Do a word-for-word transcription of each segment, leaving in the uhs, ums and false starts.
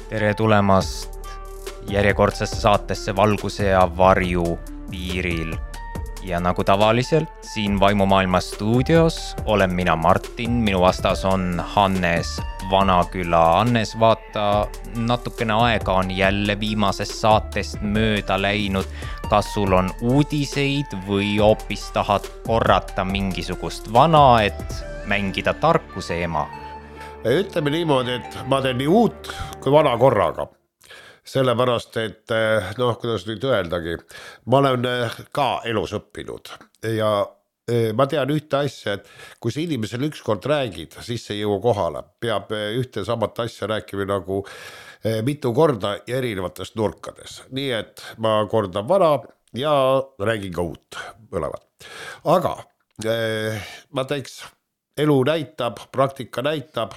Tere tulemast järjekordsesse saatesse Valguse ja varju piiril. Ja nagu tavaliselt, siin Vaimumaailma stuudios olen mina Martin, minu vastas on Hannes Vanaküla. Hannes, vaata, natukene aega on jälle viimasest saatest mööda läinud. Kas sul on uudiseid või hoopis tahad korrata mingisugust vana, et mängida tarkuse ema? Ütleme niimoodi, et ma teen nii uut kui vana korraga. Sellepärast, et noh, kuidas nüüd öeldagi, ma olen ka elus õppinud ja ma tean ühte asja, et kui sa inimesel ükskord räägid, siis see jõua kohale. Peab ühte samat asja rääkima nagu mitu korda ja erinevates nurkades. Nii et ma kordan vana ja räägin ka uut mõlevad. Aga ma teeks, elu näitab, praktika näitab,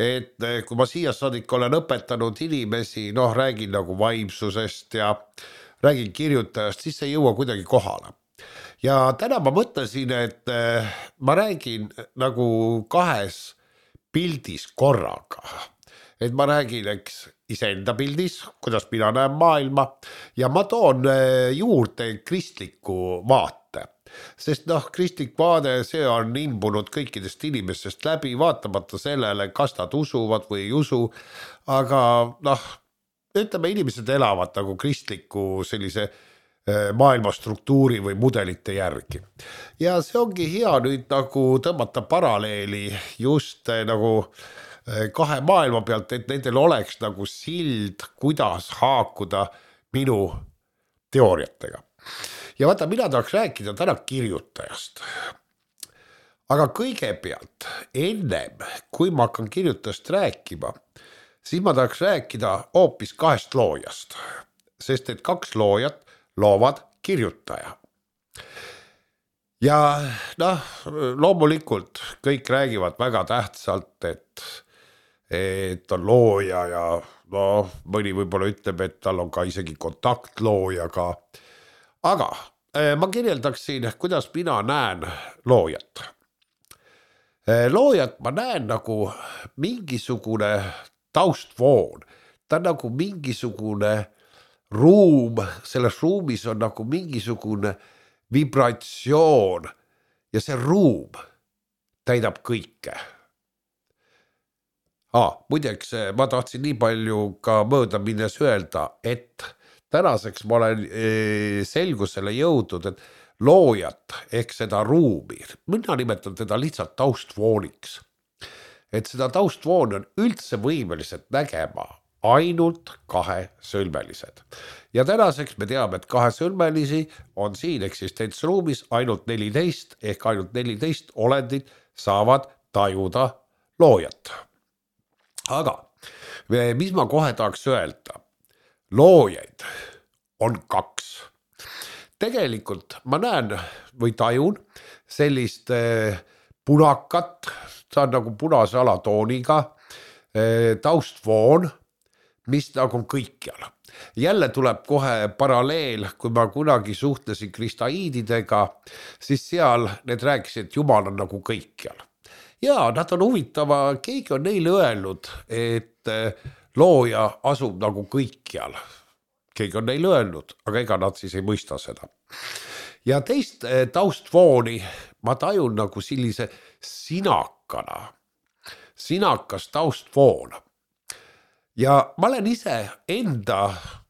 et kui ma siia saadik olen õpetanud inimesi, noh, räägin nagu vaimsusest ja räägin kirjutajast, siis see ei jõua kuidagi kohale. Ja täna ma mõtlesin, et ma räägin nagu kahes pildis korraga. Et ma räägin, eks, iseenda pildis, kuidas mina näen maailma ja ma toon juurde kristliku vaate. Sest noh, kristlik vaade, see on imbunud kõikidest inimestest läbi, vaatamata sellele, kas nad usuvad või ei usu, aga noh, ütleme, inimesed elavad nagu kristliku sellise maailma struktuuri või mudelite järgi. Ja see ongi hea nüüd nagu tõmmata paralleeli just nagu kahe maailma pealt, et nendel oleks nagu sild, kuidas haakuda minu teooriatega. Ja vaata, mina tahaks rääkida täna kirjutajast. Aga kõigepealt, ennem, kui ma hakkan kirjutajast rääkima, siis ma tahaks rääkida hoopis kahest loojast. Sest et kaks loojat loovad kirjutaja. Ja noh, loomulikult kõik räägivad väga tähtsalt, et, et on looja ja no, mõni võib-olla ütleb, et tal on ka isegi kontaktloojaga. Aga ma kirjeldaksin, kuidas mina näen loojat. Loojat ma näen nagu mingisugune taustvoon. Ta on nagu mingisugune ruum, selles ruumis on nagu mingisugune vibratsioon ja see ruum täidab kõike. Ah, muideks, ma tahtsin nii palju ka mööda minnes öelda, et tänaseks ma olen selgusele jõudnud, et loojat ehk seda ruumi, mina nimetan teda lihtsalt taustvooniks. Et seda taustvooni on üldse võimelised nägema ainult kahe sõlmelised. Ja tänaseks me teame, et kahe sõlmelisi on siin eksistentsruumis ainult neliteist ehk ainult neliteist olendit saavad tajuda loojat. Aga mis ma kohe tahaks öelda? Loojaid on kaks. Tegelikult ma näen või tajun sellist punakat, see on nagu punase alatooniga taustvoon, mis nagu on kõikjal. Jälle tuleb kohe paralleel, kui ma kunagi suhtlesin kristaiididega, siis seal need rääkisid, et Jumal on nagu kõikjal. Ja nad on huvitava, keegi on neile öelnud, et looja asub nagu kõikjal. Keegi on neile öelnud, aga ega nad siis ei mõista seda. Ja teist taustvooni ma tajun nagu sellise sinakana. Sinakas taustvoon. Ja ma olen ise enda,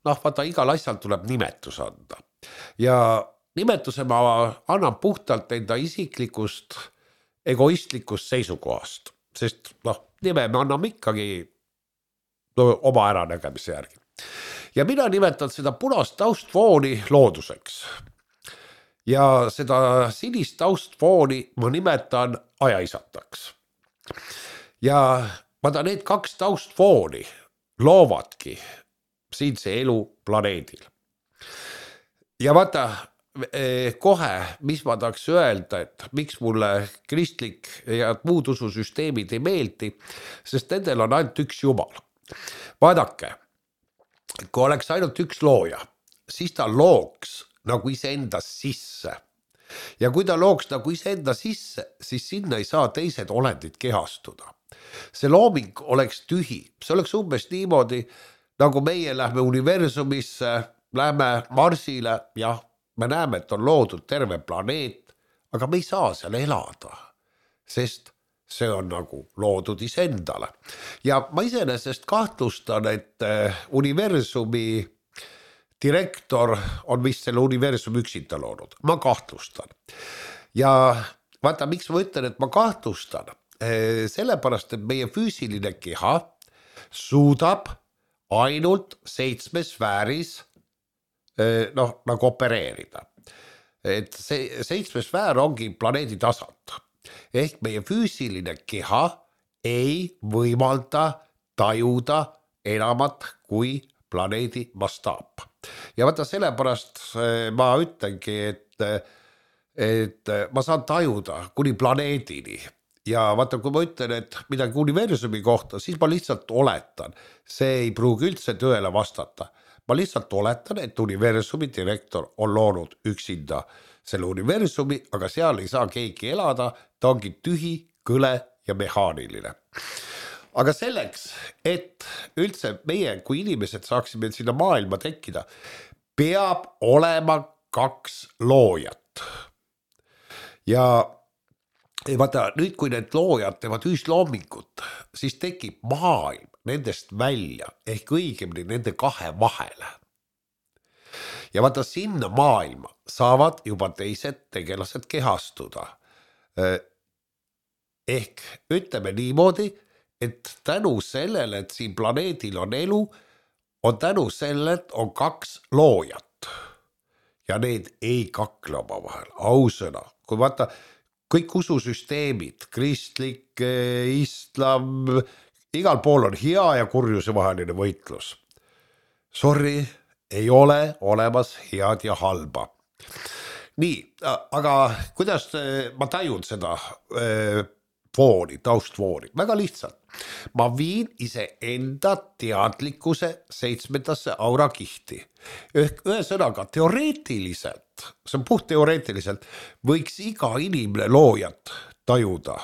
noh vaata, igal asjal tuleb nimetus anda. Ja nimetuse ma annan puhtalt enda isiklikust, egoistlikust seisukohast. Sest noh, nime me anname ikkagi no, oma äranägemise järgi. Ja mina nimetan seda punast taustvooni looduseks. Ja seda sinist taustvooni ma nimetan ajaisataks. Ja vaata, need kaks taustvooni loovadki siinse elu planeedil. Ja vaata, kohe, mis ma tahaks öelda, et miks mulle kristlik ja muud ususüsteemid ei meeldi, sest nendel on ainult üks Jumal. Vaadake, kui oleks ainult üks looja, siis ta looks nagu iseenda sisse. Ja kui ta looks nagu iseenda sisse, siis sinna ei saa teised olendid kehastuda. see looming oleks tühi, see oleks umbes niimoodi, nagu meie lähme universumisse, lähme Marsile, jah, me näeme, et on loodud terve planeet, aga me ei saa seal elada, sest see on nagu loodud iseendale. Ja ma iseenesest kahtlustan, et universumi direktor on vist selle universumi üksinda loonud. Ma kahtlustan. Ja vaata, miks ma ütlen, et ma kahtlustan? Sellepärast, et meie füüsiline keha suudab ainult seitsme sfääris noh, nagu opereerida. Et see seitsme sfäär ongi planeedi tasand. Ehk meie füüsiline keha ei võimalda tajuda enamat kui planeedi mastaap. Ja vaata sellepärast ma ütlengi, et, et ma saan tajuda kuni planeedini. Ja vaata, kui ma ütlen, et midagi universumi kohta, siis ma lihtsalt oletan. See ei pruugi üldse tõele vastata. Ma lihtsalt oletan, et universumi direktor on loonud üksinda selle universumi, aga seal ei saa keegi elada, ta ongi tühi, kõle ja mehaaniline. Aga selleks, et üldse meie kui inimesed saaksime sinna maailma tekkida, peab olema kaks loojat. Ja vaata, nüüd kui need loojad teevad ühisloomingut, siis tekib maailm nendest välja, ehk õigemini nende kahe vahele. Ja vaata, sinna maailma saavad juba teised tegelased kehastuda. Ehk ütleme niimoodi, et tänu sellele, et siin planeedil on elu, on tänu sellele, et on kaks loojat. Ja need ei kakle oma vahel, ausõna. Kui vaata, kõik ususüsteemid, kristlik, islam, igal pool on hea ja kurjuse vaheline võitlus. Sorry, ei ole olemas head ja halba. Nii, aga kuidas ma tajun seda fooni, taustfooni? Väga lihtsalt. Ma viin ise enda teadlikkuse seitsmendasse aurakihti. Ehk ühesõnaga teoreetiliselt, see on puht teoreetiliselt, võiks iga inimene loojat tajuda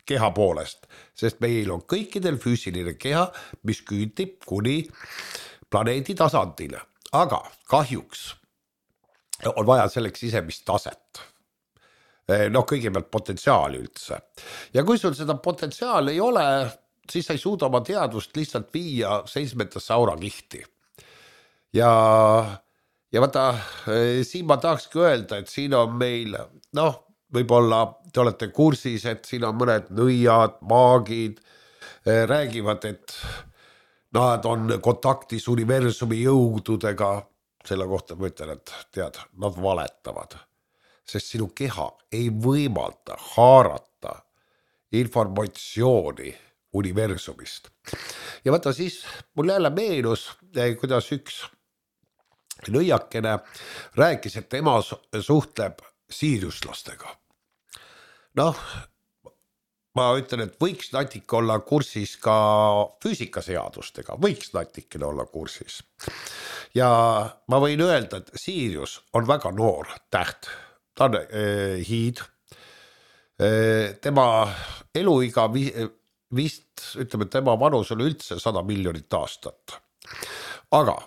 keha poolest, sest meil on kõikidel füüsiline keha, mis küüntib kuni planeedi tasandile, aga kahjuks on vaja selleks sisemist taset. Noh, kõigepealt potentsiaali üldse. Ja kui sul seda potentsiaali ei ole, siis sa ei suuda oma teadvust lihtsalt viia seitsmendasse aurakihti. Ja, ja vaata, siin ma tahakski öelda, et siin on meil, noh, võib-olla te olete kursis, et siin on mõned nõiad, maagid, räägivad, et nad on kontaktis universumi jõududega, selle kohta ma ütlen, et tead, nad valetavad, sest sinu keha ei võimalda haarata informatsiooni universumist. Ja vaata siis, mul jälle meenus, kuidas üks nõiakene rääkis, et tema suhtleb siiriuslastega. Noh, ma ütlen, et võiks natuke olla kursis ka füüsikaseadustega, võiks natuke olla kursis. Ja ma võin öelda, et Sirius on väga noor täht, ta on äh, hiid, äh, tema eluiga vist, ütleme, tema vanus on üldse sada miljonit aastat. Aga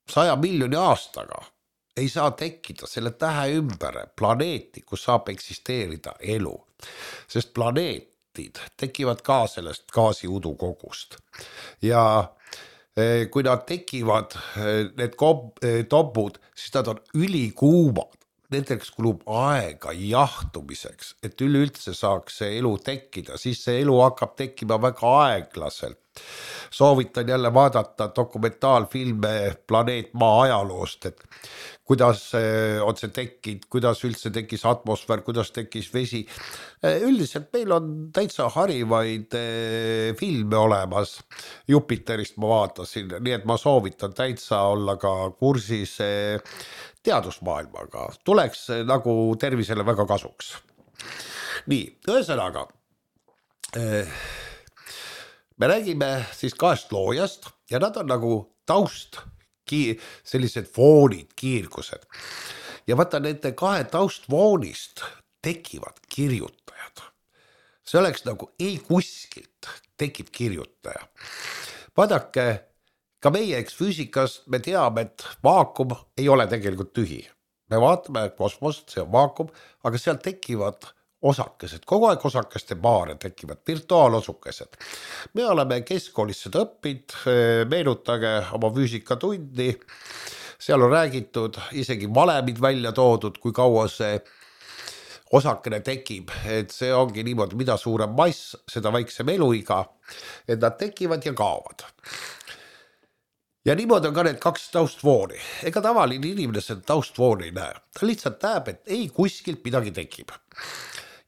saja miljoni aastaga ei saa tekkida selle tähe ümber planeeti, kus saab eksisteerida elu, sest planeet tekivad ka sellest gaasiudu kogust. Ja kui nad tekivad, need topud, siis nad on ülikuumad. Nendeks kulub aega jahtumiseks, et üleüldse saaks see elu tekkida, siis see elu hakkab tekkima väga aeglaselt. Soovitan jälle vaadata dokumentaalfilme Planeet Maa ajaloost, et kuidas on see tekkinud, kuidas üldse tekkis atmosfäär, kuidas tekkis vesi. Üldiselt meil on täitsa harivaid filme olemas. Jupiterist ma vaatasin, nii et ma soovitan täitsa olla ka kursis teadusmaailmaga. Tuleks nagu tervisele väga kasuks. Nii, ühesõnaga, me räägime siis kahest loojast ja nad on nagu taust, sellised foonid, kiirgused. Ja vaata, nende kahe taustfoonist tekivad kirjutajad. see oleks nagu ei kuskilt tekib kirjutaja. Vaadake, ka meie eks füüsikast me teame, et vaakum ei ole tegelikult tühi. Me vaatame kosmost, see on vaakum, aga seal tekivad osakesed, kogu aeg osakeste paare tekivad, virtuaalosukesed. Me oleme keskkoolis seda õppinud, meenutage oma füüsikatundi, seal on räägitud, isegi valemid välja toodud, kui kaua see osakene tekib, et see ongi niimoodi, mida suurem mass, seda väiksem eluiga, et nad tekivad ja kaovad. Ja niimoodi on ka need kaks taustvooni. Ega tavaline inimene seda taustvooni ei näe. Ta lihtsalt näeb, et ei kuskilt midagi tekib.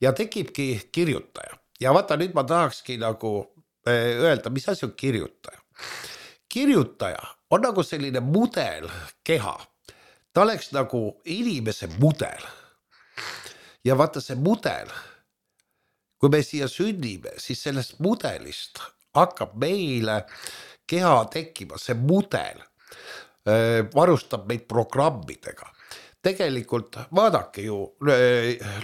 Ja tekibki kirjutaja. Ja vaata, nüüd ma tahakski nagu öelda, mis asi on kirjutaja. Kirjutaja on nagu selline mudel keha. Ta oleks nagu inimese mudel. Ja vaata see mudel, kui me siia sünnime, siis sellest mudelist hakkab meile keha tekkima, see mudel varustab meid programmidega. Tegelikult vaadake ju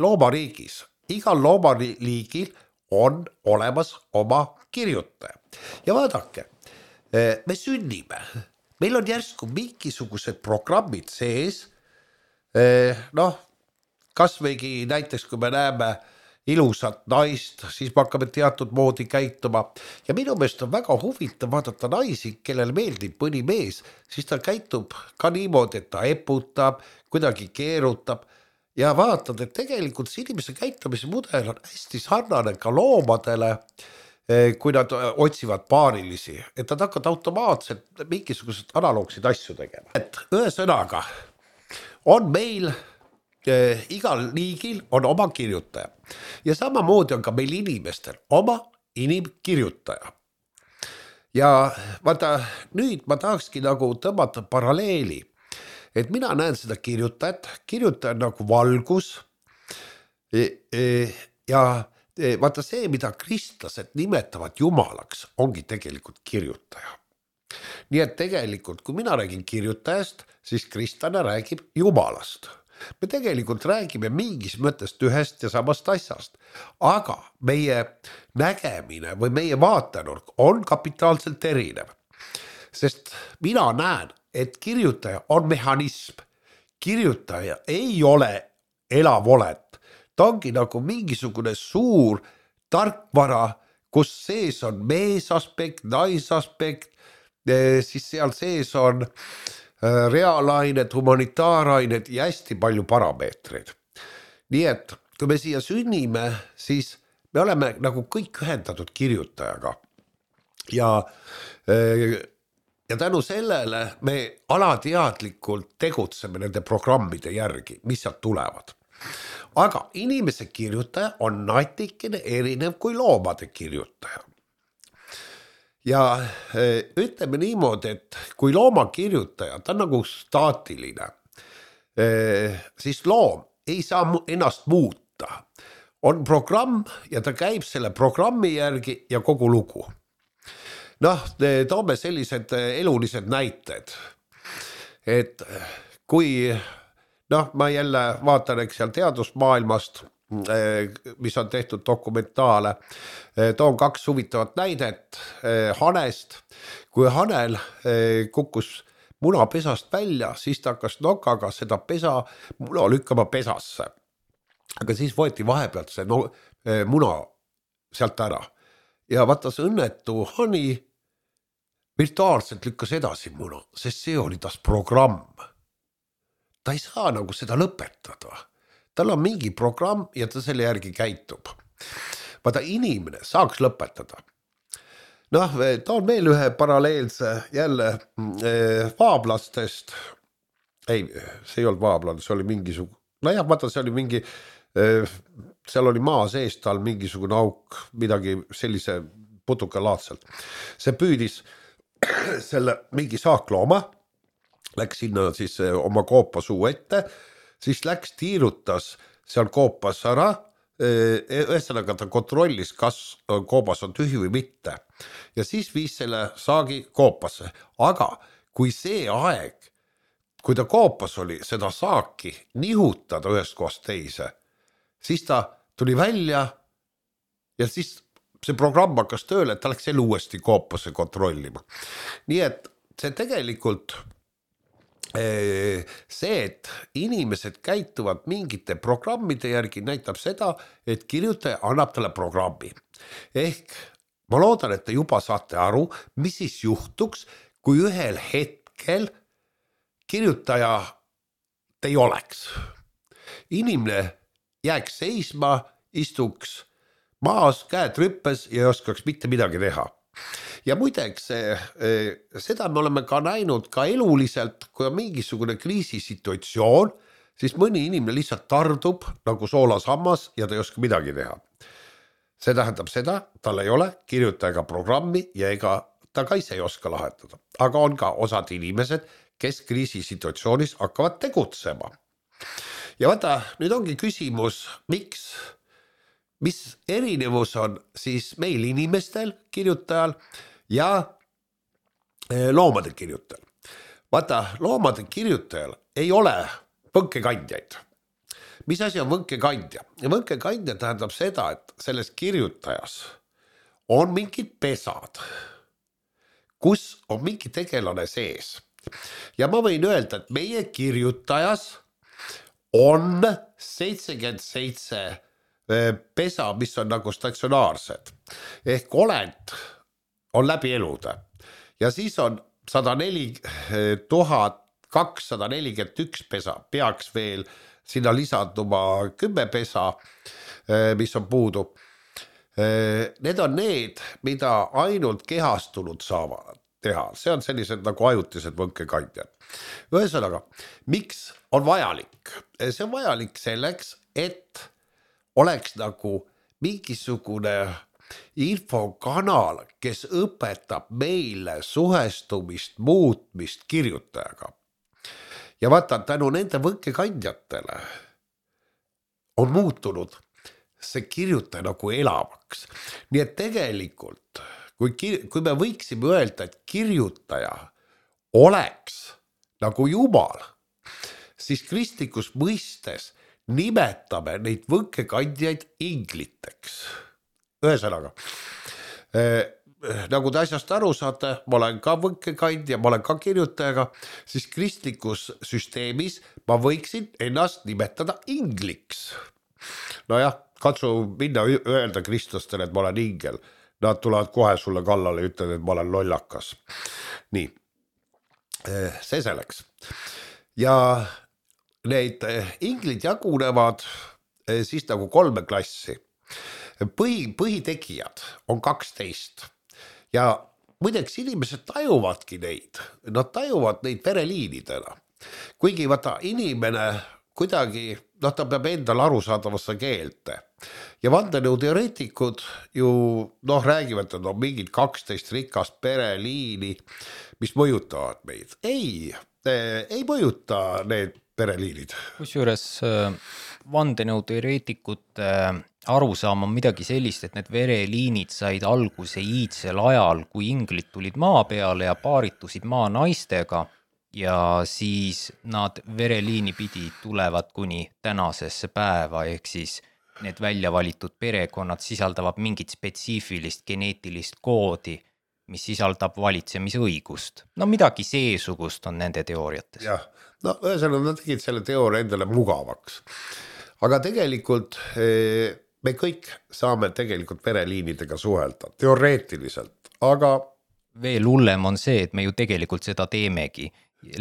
loomariigis, igal loomariigil on olemas oma kirjutaja. Ja vaadake, me sünnime, meil on järsku mingisugused programmid sees, noh, kas võigi näiteks, kui me näeme ilusat naist, siis me hakkame teatud moodi käituma. Ja minu meelest on väga huvitav vaadata naisi, kellele meeldib mõni mees, siis ta käitub ka niimoodi, et ta eputab, kuidagi keerutab. Ja vaatad, et tegelikult see inimese käitumise mudel on hästi sarnane ka loomadele, kui nad otsivad paarilisi, et nad hakkavad automaatselt mingisugused analoogsid asju tegema. Et ühesõnaga on meil igal liigil on oma kirjutaja. Ja samamoodi on ka meil inimestel oma inimkirjutaja. Ja vaata, nüüd ma tahakski nagu tõmmata paralleeli, et mina näen seda kirjutajat, kirjutaja nagu valgus ja vaata see, mida kristlased nimetavad jumalaks, ongi tegelikult kirjutaja. Nii et tegelikult, kui mina räägin kirjutajast, siis kristlane räägib jumalast. Me tegelikult räägime mingis mõttest ühest ja samast asjast, aga meie nägemine või meie vaatenurk on kapitaalselt erinev. Sest mina näen, et kirjutaja on mehhanism. Kirjutaja ei ole elav olend. Ta ongi nagu mingisugune suur tarkvara, kus sees on meesaspekt, naisaspekt, siis seal sees on reaalained, humanitaarained ja hästi palju parameetreid. Nii et kui me siia sünnime, siis me oleme nagu kõik ühendatud kirjutajaga. Ja, ja tänu sellele me alateadlikult tegutseme nende programmide järgi, mis sealt tulevad. Aga inimese kirjutaja on natikene erinev kui loomade kirjutaja. Ja ütleme niimoodi, et kui looma kirjutaja, ta on nagu staatiline, siis loom ei saa ennast muuta. On programm ja ta käib selle programmi järgi ja kogu lugu. Noh, toome sellised elulised näited, et kui, noh, ma jälle vaatan eks seal teadusmaailmast, mis on tehtud dokumentaale. Toon kaks huvitavat näidet hanest. Kui hanel kukkus munapesast välja, siis ta hakkas nokaga seda pesa muna lükkama pesasse. Aga siis võeti vahepealt see no, muna sealt ära. Ja vaata see õnnetu hani virtuaalselt lükkas edasi muna, sest see oli tas programm. Ta ei saa nagu seda lõpetada. Tal on mingi programm ja ta selle järgi käitub. Vaata, inimene saaks lõpetada. Noh, toon veel ühe paralleelse jälle vaablastest. Ei, see ei olnud vaablane, see oli mingisugune. No jah, vaata, see oli mingi, seal oli maa sees tal mingisugune auk, midagi sellise putukalaadselt. See püüdis selle mingi saaklooma, läks sinna siis oma koopa suu ette, siis läks tiirutas seal koopas ära, ühesõnaga ta kontrollis, kas koobas on tühi või mitte. Ja siis viis selle saagi koopasse. Aga kui see aeg, kui ta koopas oli seda saaki nihutada ühest kohast teise, siis ta tuli välja ja siis see programm hakkas tööle, et ta läks jälle uuesti koopasse kontrollima. Nii et see tegelikult see, et inimesed käituvad mingite programmide järgi, näitab seda, et kirjutaja annab talle programmi. Ehk ma loodan, et te juba saate aru, mis siis juhtuks, kui ühel hetkel kirjutaja ei oleks. Inimene jääks seisma, istuks maas, käed rüppes ja ei oskaks mitte midagi teha. Ja muideks, seda me oleme ka näinud ka eluliselt, kui on mingisugune kriisisituatsioon, siis mõni inimene lihtsalt tardub nagu soolasammas ja ta ei oska midagi teha. See tähendab seda, tal ei ole kirjutajaga programmi ja ega ta ka ise ei oska lahendada. Aga on ka osad inimesed, kes kriisisituatsioonis hakkavad tegutsema. Ja vaata, nüüd ongi küsimus, miks, mis erinevus on siis meil inimestel, kirjutajal ja loomade kirjutajal. Vaata, loomade kirjutajal ei ole võnkekandjaid. Mis asi on võnkekandja? Ja võnkekandja tähendab seda, et selles kirjutajas on mingid pesad, kus on mingi tegelane sees. Ja ma võin öelda, et meie kirjutajas on seitsekümmend seitse pesa, mis on nagu statsionaarsed. Ehk olend on läbi elude. Ja siis on sada neli tuhat kakssada nelikümmend üks pesa, peaks veel sinna lisanduma kümme pesa, mis on puudu. Need on need, mida ainult kehastunud saavad teha. See on sellised nagu ajutised võnkekandjad. Ühesõnaga, miks on vajalik? See on vajalik selleks, et oleks nagu mingisugune infokanal, kes õpetab meile suhestumist, muutmist kirjutajaga. Ja vaata, tänu nende võnkekandjatele on muutunud see kirjutaja nagu elavaks. Nii et tegelikult, kui, kir- kui me võiksime öelda, et kirjutaja oleks nagu Jumal, siis kristlikus mõistes nimetame neid võnkekandjaid ingliteks. Ühesõnaga, eh, nagu te asjast aru saate, ma olen ka võnkekandja, ma olen ka kirjutajaga, siis kristlikus süsteemis ma võiksin ennast nimetada ingliks. No jah, katsu minna öelda kristlastele, et ma olen ingel. Nad tulevad kohe sulle kallale ja ütlevad, et ma olen lollakas. Nii, see selleks. Ja need inglid jagunevad siis nagu kolme klassi. Põhi, põhitegijad on kaksteist. Ja muideks inimesed tajuvadki neid. Nad tajuvad neid vereliinidena. Kuigi vaata inimene kuidagi, noh, ta peab endal arusaadavasse keelte. Ja vandenõuteoreetikud ju, noh, räägivad, et on mingid kaksteist rikast pereliini, mis mõjutavad meid. Ei, ei mõjuta need pereliinid. Kusjuures vandenõuteoreetikute arusaam on midagi sellist, et need vereliinid said alguse iidsel ajal, kui inglid tulid maa peale ja paaritusid maa naistega, ja siis nad vereliini pidi tulevad kuni tänasesse päeva, ehk siis need välja valitud perekonnad sisaldavad mingit spetsiifilist geneetilist koodi, mis sisaldab valitsemisõigust. No midagi seesugust on nende teooriates. Jah, no ühesõnaga nad tegid selle teooria endale mugavaks. Aga tegelikult me kõik saame tegelikult vereliinidega suhelda, teoreetiliselt, aga veel hullem on see, et me ju tegelikult seda teemegi.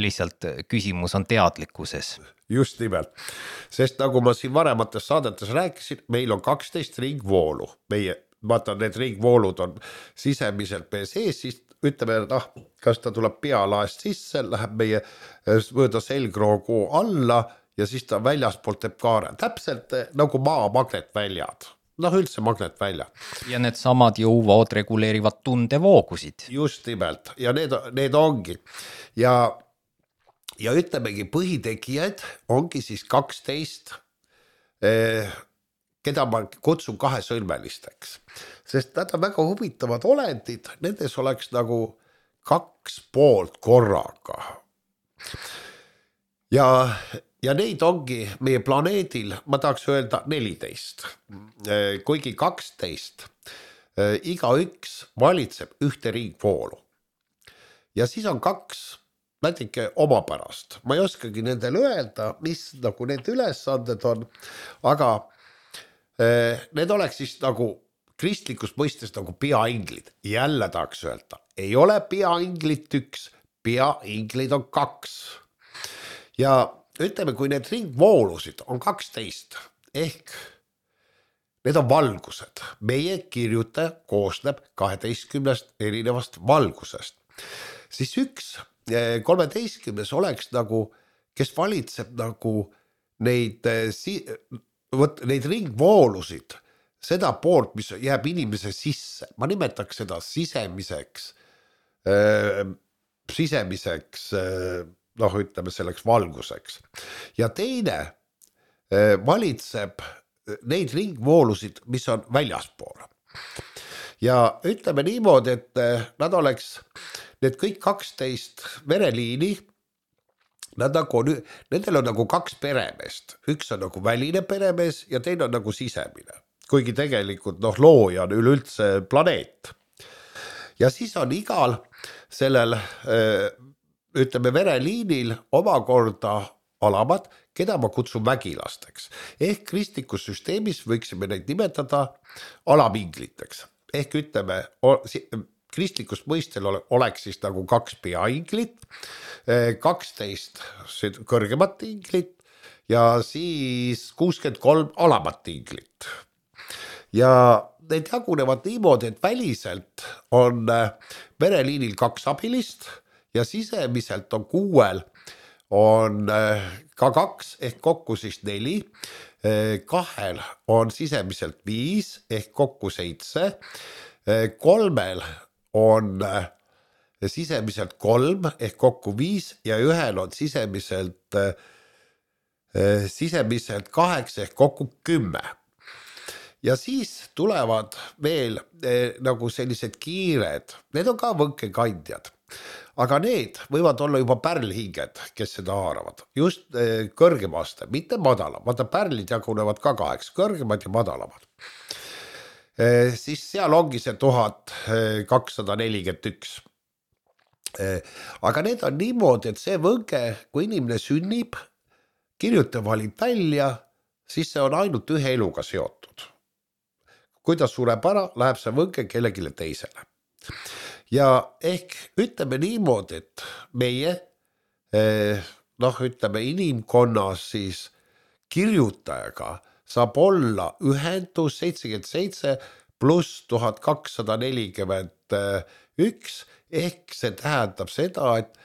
Lihtsalt küsimus on teadlikkuses. Just nimelt, sest nagu ma siin varemates saadetes rääkisin, meil on kaksteist ringvoolu. Meie, vaata, need ringvoolud on sisemiselt meie sees, siis ütleme, noh, kas ta tuleb pealaest sisse, läheb meie mööda selgroogu alla ja siis ta väljaspoolt teeb kaare. Täpselt nagu maa magnetväljad. Noh, üldse magnetväljad. Ja need samad jõuvood reguleerivad tundevoogusid. Just nimelt, ja need, need ongi. Ja Ja ütlemegi, põhitegijad ongi siis kaksteist, keda ma kutsun kahesõlmelisteks. Sest nad on väga huvitavad olendid, nendes oleks nagu kaks poolt korraga. Ja, ja neid ongi meie planeedil, ma tahaks öelda neliteist, kuigi kaksteist, iga üks valitseb ühte ringvoolu. Ja siis on kaks natuke omapärast. Ma ei oskagi nendele öelda, mis nagu need ülesanded on, aga need oleks siis nagu kristlikus mõistes nagu peainglid. Jälle tahaks öelda, ei ole peainglit üks, peainglid on kaks. Ja ütleme, kui need ringvoolusid on kaksteist, ehk need on valgused. Meie kirjutaja koosneb kaheteistkümnest erinevast valgusest. Siis üks kolmeteistkümnes oleks nagu, kes valitseb nagu neid, võt, neid ringvoolusid, seda poolt, mis jääb inimese sisse. Ma nimetaks seda sisemiseks, äh, sisemiseks, äh, noh ütleme selleks valguseks. Ja teine äh, valitseb neid ringvoolusid, mis on väljaspool. Ja ütleme niimoodi, et äh, nad oleks need kõik kaksteist vereliini, nad nagu, nendel on nagu kaks peremeest. Üks on nagu väline peremees ja teine on nagu sisemine. Kuigi tegelikult noh, looja on üleüldse planeet. Ja siis on igal sellel, ütleme, vereliinil omakorda alamad, keda ma kutsun vägilasteks. Ehk kristlikus süsteemis võiksime neid nimetada alamingliteks. Ehk ütleme, kristlikus mõistel oleks siis nagu kaks peainglit, kaksteist kõrgemat inglit ja siis kuuskümmend kolm alamat inglit. Ja need jagunevad niimoodi, et väliselt on vereliinil kaks abilist ja sisemiselt on kuuel on ka kaks ehk kokku siis neli, kahel on sisemiselt viis ehk kokku seitse, kolmel on sisemiselt kolm ehk kokku viis ja ühel on sisemiselt, sisemiselt kaheksa ehk kokku kümme. Ja siis tulevad veel nagu sellised kiired, need on ka võnkekandjad, aga need võivad olla juba pärlhinged, kes seda haaravad, just kõrgemaste, mitte madala, vaata pärlid jagunevad ka kaheks, kõrgemad ja madalamad. Siis seal ongi see tuhat kakssada nelikümmend üks. Aga need on niimoodi, et see võnke, kui inimene sünnib, kirjutaja valib välja, siis see on ainult ühe eluga seotud. Kui ta sureb ära, läheb see võnke kellegile teisele. Ja ehk ütleme niimoodi, et meie, noh ütleme inimkonnas siis kirjutajaga saab olla ühendus seitsekümmend seitse pluss tuhat kakssada nelikümmend üks, ehk see tähendab seda, et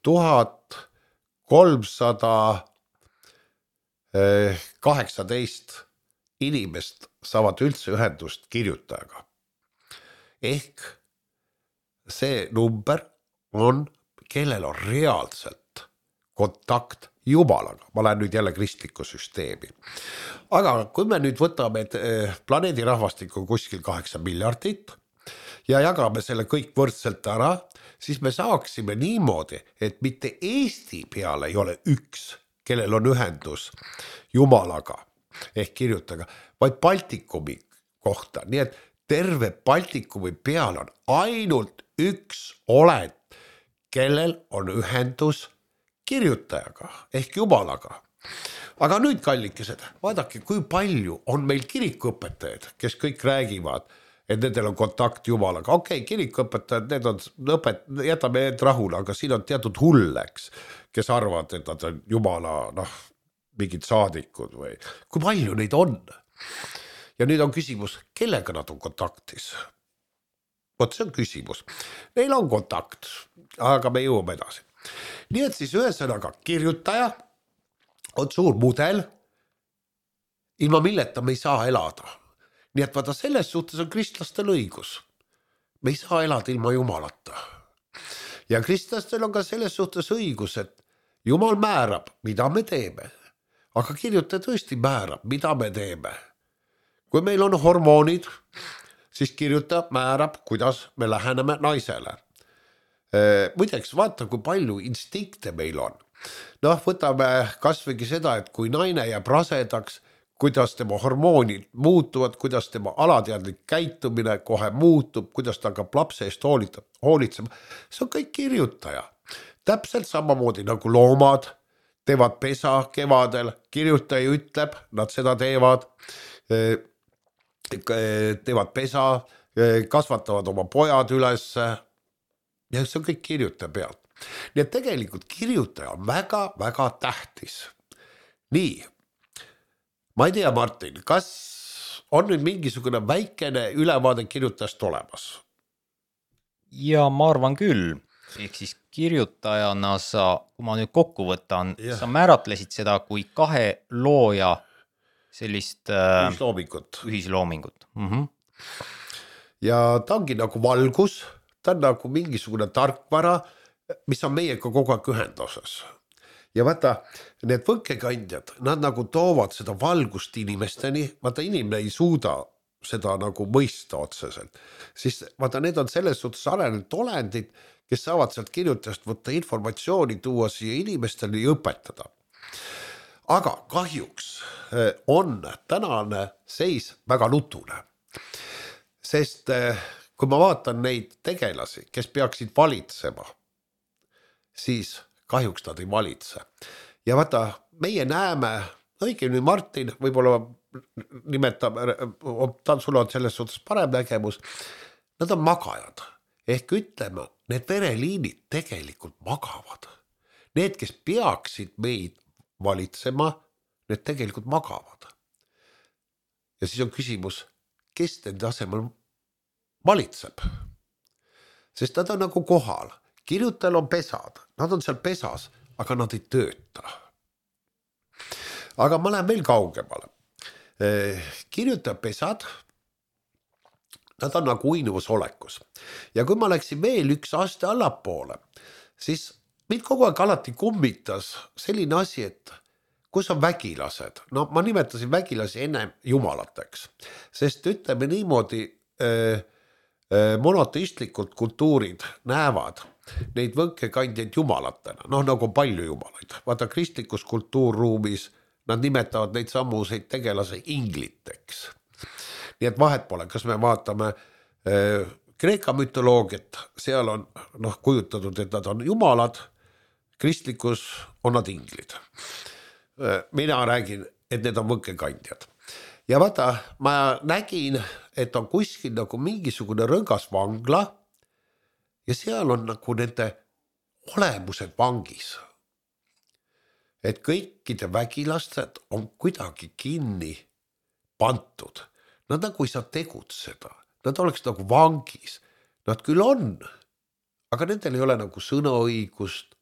tuhat kolmsada kaheksateist inimest saavad üldse ühendust kirjutajaga. Ehk see number on, kellel on reaalselt kontakt Jumalaga. Ma lähen nüüd jälle kristlikku süsteemi. Aga kui me nüüd võtame planeedi rahvastikku kuskil kaheksa miljardit ja jagame selle kõik võrdselt ära, siis me saaksime niimoodi, et mitte Eesti peale ei ole üks, kellel on ühendus Jumalaga ehk kirjutajaga, vaid Baltikumi kohta. Nii et terve Baltikumi peal on ainult üks olend, kellel on ühendus kirjutajaga ehk Jumalaga. Aga nüüd kallikesed, vaadake, kui palju on meil kirikuõpetajad, kes kõik räägivad, et nendel on kontakt Jumalaga. Okei, okay, kirikuõpetajad, need on õpet, jätame need rahule, aga siin on teatud hulleks, kes arvavad, et nad on Jumala, noh, mingid saadikud või. Kui palju neid on? Ja nüüd on küsimus, kellega nad on kontaktis? Vot see on küsimus. Neil on kontakt, aga me jõuame edasi. Nii et siis ühesõnaga kirjutaja on suur mudel, ilma milleta me ei saa elada. Nii et vaata, selles suhtes on kristlastel õigus. Me ei saa elada ilma Jumalata. Ja kristlastel on ka selles suhtes õigus, et Jumal määrab, mida me teeme. Aga kirjutaja tõesti määrab, mida me teeme. Kui meil on hormoonid, siis kirjutaja määrab, kuidas me läheneme naisele. Muideks, vaata, kui palju instinkte meil on. noh, võtame kasvõigi seda, et kui naine jääb rasedaks, kuidas tema hormoonid muutuvad, kuidas tema alateadlik käitumine kohe muutub, kuidas ta hakkab lapse eest hoolitsema. See on kõik kirjutaja. Täpselt samamoodi nagu loomad teevad pesa kevadel, kirjutaja ütleb, nad seda teevad, teevad pesa, kasvatavad oma pojad üles ja see on kõik kirjutaja pealt. Nii et tegelikult kirjutaja on väga-väga tähtis. Nii, ma ei tea, Martin, kas on nüüd mingisugune väikene ülevaade kirjutajast olemas? Ja ma arvan küll. Ehk siis kirjutajana sa, kui ma nüüd kokku võtan, ja. Sa määratlesid seda kui kahe looja sellist ühisloomingut. ühisloomingut. Mm-hmm. Ja ta ongi nagu valgus, ta on nagu mingisugune tarkvara, mis on meiega kogu aeg ühendoses. Ja vaata, need võnkekandjad, nad nagu toovad seda valgust inimesteni, vaata inimene ei suuda seda nagu mõista otseselt. Siis vaata, need on selles suhtes arenenud olendid, kes saavad sealt kirjutajast võtta informatsiooni, tuua siia inimestele ja õpetada. Aga kahjuks on tänane seis väga nutune. Sest kui ma vaatan neid tegelasi, kes peaksid valitsema, siis kahjuks nad ei valitse. Ja vaata, meie näeme, õigemini Martin, võib-olla nimetab, sul on selles suhtes parem nägemus, nad on magajad. Ehk ütleme, need vereliinid tegelikult magavad. Need, kes peaksid meid valitsema, need tegelikult magavad. Ja siis on küsimus, kes nende asemel valitseb? Sest nad on nagu kohal. Kirjutajal on pesad, nad on seal pesas, aga nad ei tööta. Aga ma lähen veel kaugemale. Kirjutaja pesad, nad on nagu uinuvus olekus. Ja kui ma läksin veel üks aste allapoole, siis mind kogu aeg alati kummitas selline asi, et kus on vägilased. No ma nimetasin vägilasi enne jumalateks, sest ütleme niimoodi äh, äh, monoteistlikud kultuurid näevad neid võnkekandjaid jumalatena, noh nagu palju jumalaid. Vaata kristlikus kultuurruumis nad nimetavad neid samuseid tegelase ingliteks. Nii et vahet pole, kas me vaatame äh, Kreeka mütoloogiat, seal on noh, kujutatud, et nad on jumalad, kristlikus on nad inglid. Äh, mina räägin, et need on võnkekandjad. Ja vaata, ma nägin, et on kuskil nagu mingisugune rõngas vangla ja seal on nagu nende olemused vangis. Et kõikide vägilased on kuidagi kinni pantud. Nad nagu ei saa tegutseda. Nad oleks nagu vangis. Nad küll on, aga nendel ei ole nagu sõnaõigust,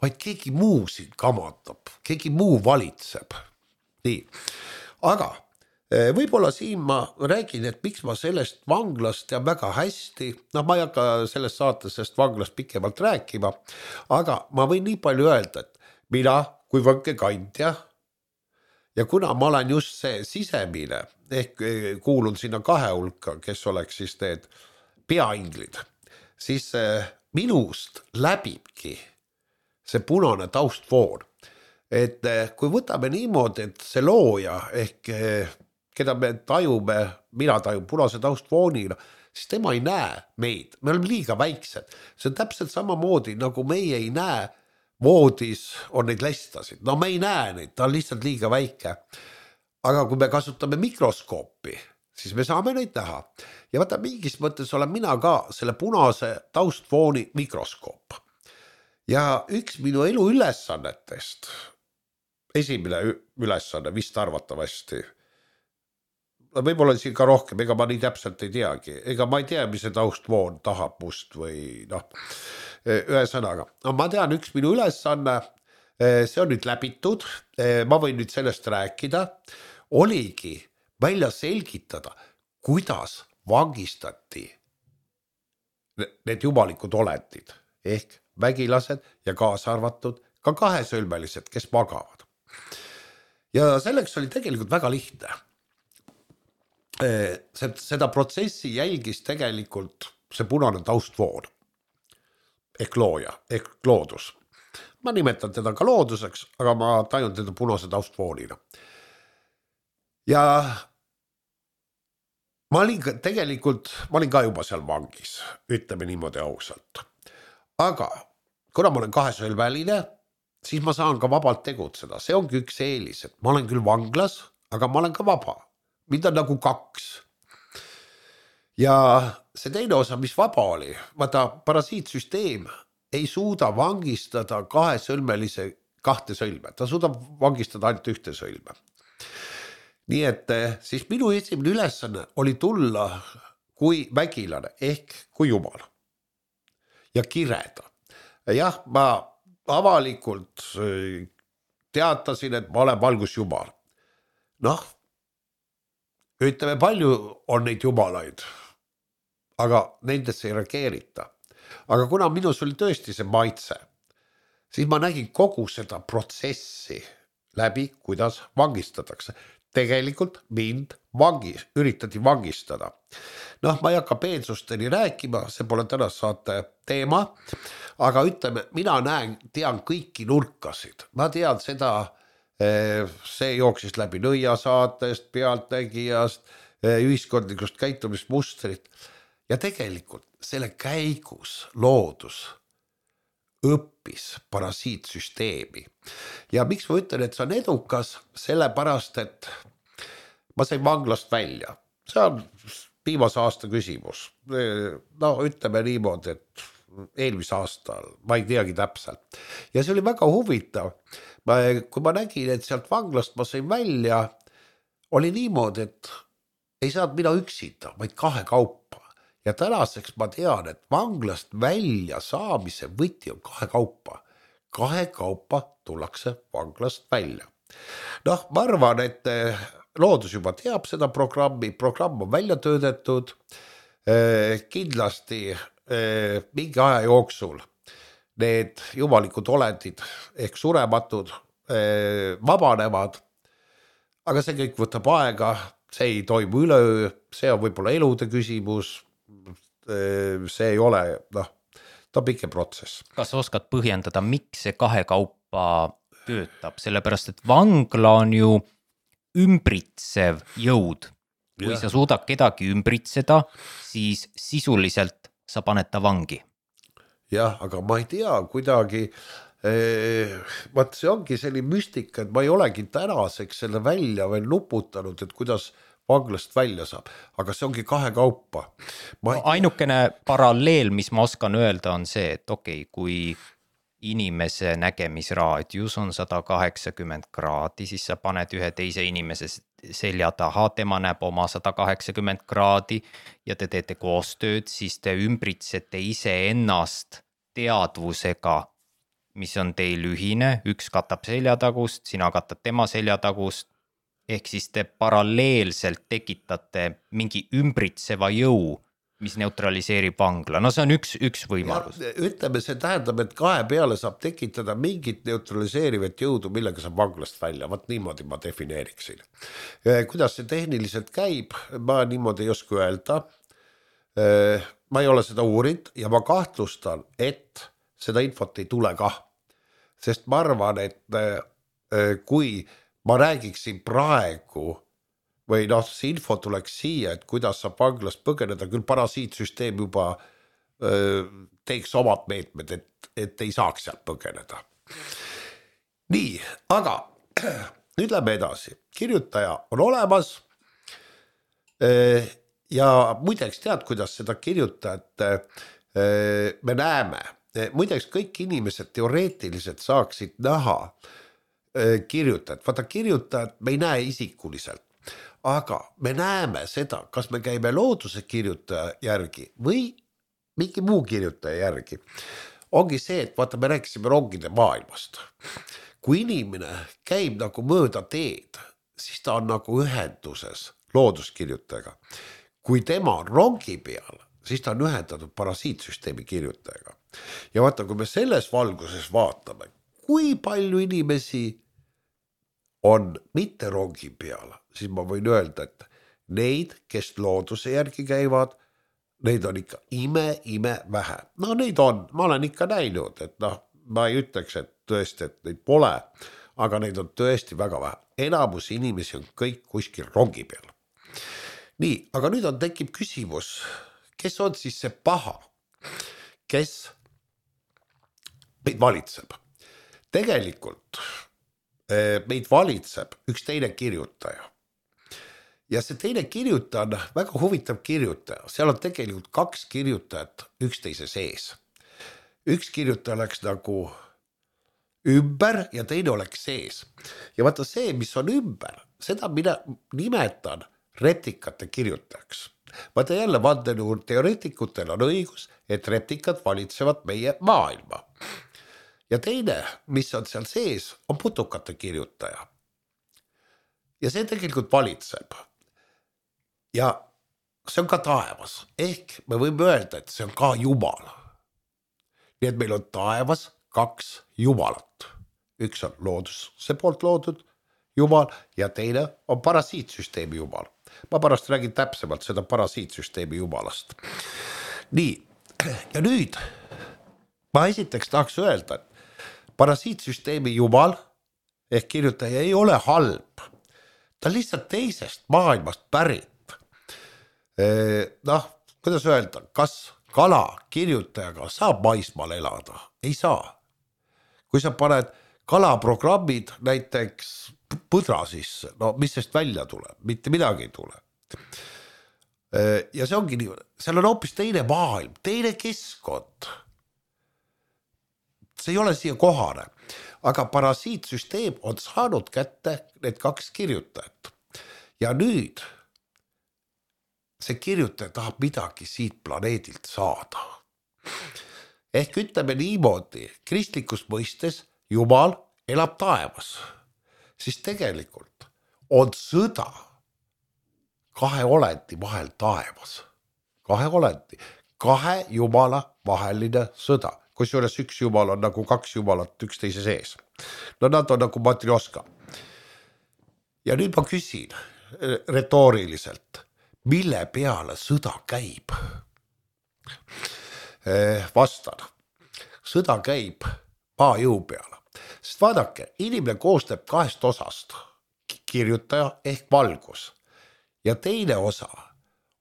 vaid keegi muu siin kamatab, keegi muu valitseb. Nii, aga võib-olla siin ma räägin, et miks ma sellest vanglast tean väga hästi, no ma ei hakka sellest saates sellest vanglast pikemalt rääkima, aga ma võin nii palju öelda, et mina kui võnkekandja ja kuna ma olen just see sisemine, ehk kuulun sinna kahe hulka, kes oleks siis need peainglid, siis minust läbibki see punane taustfoon. Et kui võtame niimoodi, et see looja ehk keda me tajume, mina tajun punase taustfoonina, siis tema ei näe meid. Me oleme liiga väiksed. See on täpselt samamoodi, nagu meie ei näe voodis on neid lestasid. No me ei näe neid, ta on lihtsalt liiga väike. Aga kui me kasutame mikroskoopi, siis me saame neid näha. Ja vaata, mingis mõttes olen mina ka selle punase taustfooni mikroskoop. Ja üks minu elu ülesannetest, esimene ülesanne vist arvatavasti, võib-olla siin ka rohkem, ega ma nii täpselt ei teagi, ega ma ei tea, mis see taustvoon tahab must või noh, ühe sõnaga. No, ma tean, üks minu ülesanne, see on nüüd läbitud, ma võin nüüd sellest rääkida, oligi välja selgitada, kuidas vangistati need jumalikud olendid, ehk vägilased ja kaasa arvatud ka kahesõlmelised, kes magavad. Ja selleks oli tegelikult väga lihtne. Seda protsessi jälgis tegelikult see punane taustvoon ehk looja, ehk loodus. ma nimetan teda ka looduseks, aga ma tajun teda punase taustfoonina. Ja ma olin ka, tegelikult, ma olin ka juba seal vangis, ütleme niimoodi ausalt. Aga kuna ma olen kahesõlmeline, siis ma saan ka vabalt tegutseda. See ongi üks eelis, et ma olen küll vanglas, aga ma olen ka vaba. Mind on nagu kaks. Ja see teine osa, mis vaba oli, vaata parasiitsüsteem ei suuda vangistada kahesõlmelise kahte sõlme. Ta suudab vangistada ainult ühte sõlme. Nii et siis minu esimene ülesanne oli tulla kui vägilane ehk kui jumal ja kireda. Jah, ma avalikult teatasin, et ma olen valgusjumal. Noh, ütleme, palju on neid jumalaid, aga nendesse ei reageerita. Aga kuna minus oli tõesti see maitse, siis ma nägin kogu seda protsessi läbi, kuidas vangistatakse. Tegelikult mind vangis, üritati vangistada. Noh, ma ei hakka peensusteni rääkima, see pole tänast saate teema, aga ütleme, mina näen, tean kõiki nurkasid. Ma tean seda, see jooksis läbi nõiasaatest, pealtnägijast, ühiskondlikust käitumismustrit. Ja tegelikult selle käigus loodus õppis parasiitsüsteemi. Ja miks ma ütlen, et see on edukas, sellepärast, et ma sain vanglast välja. See on viimase aasta küsimus. No ütleme niimoodi, et eelmise aastal, ma ei teagi täpselt. Ja see oli väga huvitav. Ma, kui ma nägin, et sealt vanglast ma sain välja, oli niimoodi, et ei saanud mina üksita, vaid kahe kaupa. Ja tänaseks ma tean, et vanglast välja saamise võti on kahe kaupa. Kahe kaupa tullakse vanglast välja. Noh, ma arvan, et loodus juba teab seda programmi, programm on välja töödetud. Kindlasti mingi aja jooksul need jumalikud olendid ehk surematud vabanevad, aga see kõik võtab aega, see ei toimu üleöö, see on võib-olla elude küsimus, see ei ole, noh, ta on pikem protsess. Kas oskad põhjendada, miks see kahe kaupa töötab? Sellepärast, et vangla on ju ümbritsev jõud. Kui ja. Sa suudad kedagi ümbritseda, siis sisuliselt sa paned ta vangi. Jah, aga ma ei tea, kuidagi, eh, vaat see ongi selline müstika, et ma ei olegi tänaseks selle välja veel nuputanud, et kuidas vanglast välja saab, aga see ongi kahe kaupa. Ma... Ainukene paralleel, mis ma oskan öelda, on see, et okei, okay, kui inimese nägemisraadius on sada kaheksakümmend kraadi, siis sa paned ühe teise inimese selja taha, tema näeb oma sada kaheksakümmend kraadi ja te teete koostööd, siis te ümbritsete ise ennast teadvusega, mis on teil ühine, üks katab seljatagust, sina katad tema seljatagust, ehk siis te paralleelselt tekitate mingi ümbritseva jõu, mis neutraliseerib vangla. No see on üks, üks võimalus. Ja, ütleme, see tähendab, et kahe peale saab tekitada mingit neutraliseerivat jõudu, millega saab vanglast välja. Vaat niimoodi ma defineeriksin. Kuidas see tehniliselt käib, ma niimoodi ei oska öelda. Ma ei ole seda uurid ja ma kahtlustan, et seda infot ei tule kah. Sest ma arvan, et kui ma räägiksin praegu või noh, see info tuleks siia, et kuidas saab vanglast põgeneda, küll parasiitsüsteem juba öö, teeks omad meetmed, et, et ei saaks sealt põgeneda. Nii, aga nüüd lähme edasi. Kirjutaja on olemas öö, ja muideks tead, kuidas seda kirjutajat öö, me näeme. Muideks kõik inimesed teoreetiliselt saaksid näha kirjutajat. Vaata kirjutajat me ei näe isikuliselt, aga me näeme seda, kas me käime looduse kirjutaja järgi või mingi muu kirjutaja järgi. Ongi see, et vaata, me rääkisime rongide maailmast. Kui inimene käib nagu mööda teed, siis ta on nagu ühenduses looduskirjutajaga. Kui tema on rongi peal, siis ta on ühendatud parasiitsüsteemi kirjutajaga. Ja vaata, kui me selles valguses vaatame, kui palju inimesi on mitte rongi peal, siis ma võin öelda, et neid, kes looduse järgi käivad, neid on ikka ime, ime vähe. No neid on, ma olen ikka näinud, et noh, ma ei ütleks, et tõesti, et neid pole, aga neid on tõesti väga vähe. Enamus inimesi on kõik kuskil rongi peal. Nii, aga nüüd on tekib küsimus, kes on siis see paha, kes meid valitseb. Tegelikult meid valitseb üks teine kirjutaja. Ja see teine kirjutaja on väga huvitav kirjutaja. Seal on tegelikult kaks kirjutajat üksteise sees. Üks kirjutaja oleks nagu ümber ja teine oleks sees. Ja vaata see, mis on ümber, seda mina nimetan replikate kirjutajaks. Vaata jälle vandenõu teoreetikutel on õigus, et replikad valitsevad meie maailma. Ja teine, mis on seal sees, on putukate kirjutaja. Ja see tegelikult valitseb. Ja see on ka taevas. Ehk me võime öelda, et see on ka Jumal. Nii et meil on taevas kaks Jumalat. Üks on looduse poolt loodud Jumal ja teine on parasiitsüsteemi Jumal. Ma pärast räägin täpsemalt seda parasiitsüsteemi Jumalast. Nii, ja nüüd ma esiteks tahaks öelda, et parasiitsüsteemi Jumal ehk kirjutaja ei ole halb. Ta on lihtsalt teisest maailmast pärit. Noh, kuidas öelda, kas kala kirjutajaga saab maismaal elada? Ei saa. Kui sa paned kalaprogrammid näiteks põdra sisse, no mis sest välja tuleb? Mitte midagi ei tule. Ja see ongi nii, seal on hoopis teine maailm, teine keskkond. See ei ole siia kohane, aga parasiitsüsteem on saanud kätte need kaks kirjutajat. Ja nüüd see kirjutaja tahab midagi siit planeedilt saada. Ehk ütleme niimoodi, kristlikus mõistes Jumal elab taevas, siis tegelikult on sõda kahe olendi vahel taevas. Kahe olendi, kahe Jumala vaheline sõda. Kusjuures üks Jumal on nagu kaks Jumalat üksteise sees. No nad on nagu matrioska. Ja nüüd ma küsin retooriliselt, mille peale sõda käib? Vastan, sõda käib maajõu peale. Sest vaadake, inimene koostab kahest osast, kirjutaja ehk valgus. Ja teine osa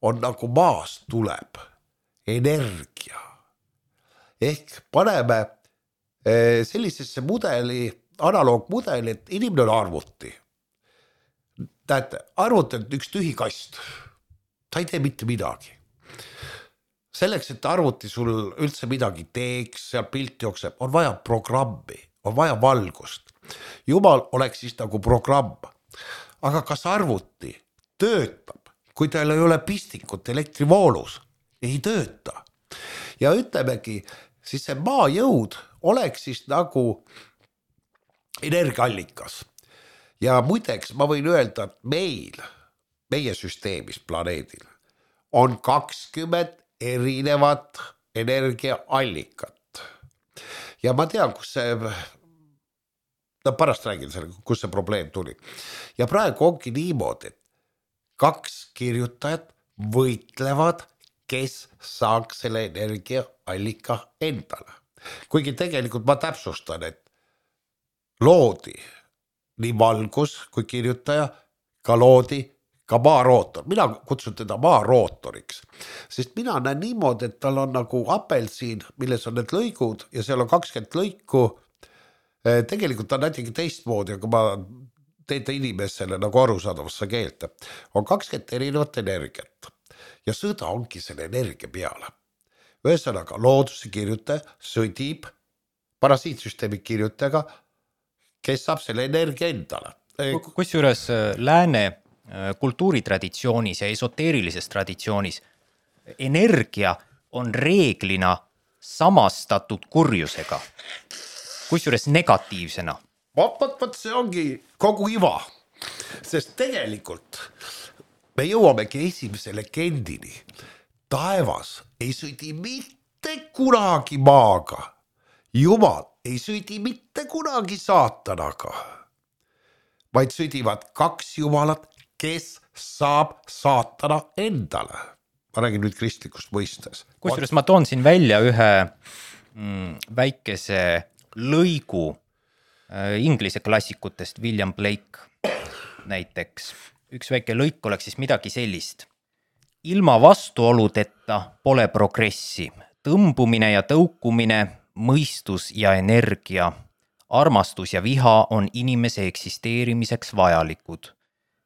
on nagu maast tuleb energia. Ehk paneme sellisesse mudeli, analoogmudeli, et inimene on arvuti. Tähendab, arvuti on üks tühi kast. Ta ei tee mitte midagi. Selleks, et arvuti sul üldse midagi teeks, seal pilt jookseb, on vaja programmi, on vaja valgust. Jumal oleks siis nagu programm. Aga kas arvuti töötab, kui tal ei ole pistikut elektrivoolus? Ei tööta. Ja ütlemegi, siis see maajõud oleks siis nagu energiaallikas. Ja muideks ma võin öelda, et meil, meie süsteemis planeedil on kakskümmend erinevat energiaallikat. Ja ma tean, kus see, no pärast räägin selle, kus see probleem tuli. Ja praegu ongi niimoodi, et kaks kirjutajat võitlevad, kes saaks selle energiaallika endale. Kuigi tegelikult ma täpsustan, et loodi nii valgus kui kirjutaja, ka loodi ka maarootor. Mina kutsun teda maarootoriks, sest mina näen niimoodi, et tal on nagu apelsiin, milles on need lõigud ja seal on kakskümmend lõiku. Tegelikult on näitegi teistmoodi, aga ma teete inimesele nagu arusaadavasse keelte. On kakskümmend erinevat energiat. Ja sõda ongi selle energia peale. Ühesõnaga, looduse kirjutaja sõdib parasiitsüsteemi kirjutajaga, kes saab selle energia endale. Kusjuures lääne kultuuritraditsioonis ja esoteerilises traditsioonis energia on reeglina samastatud kurjusega. Kusjuures negatiivsena. Vot, vot, vot, see ongi kogu iva. Sest tegelikult me jõuamegi esimese legendini. Taevas ei sõdi mitte kunagi maaga. Jumal ei sõdi mitte kunagi saatanaga. Vaid sõdivad kaks Jumalat, kes saab saatana endale. Ma räägin nüüd kristlikust mõistes. Kusjuures ma toon siin välja ühe mm, väikese lõigu äh, inglise klassikutest, William Blake näiteks. Üks väike lõik oleks siis midagi sellist. Ilma vastuoludeta pole progressi. Tõmbumine ja tõukumine, mõistus ja energia, armastus ja viha on inimese eksisteerimiseks vajalikud.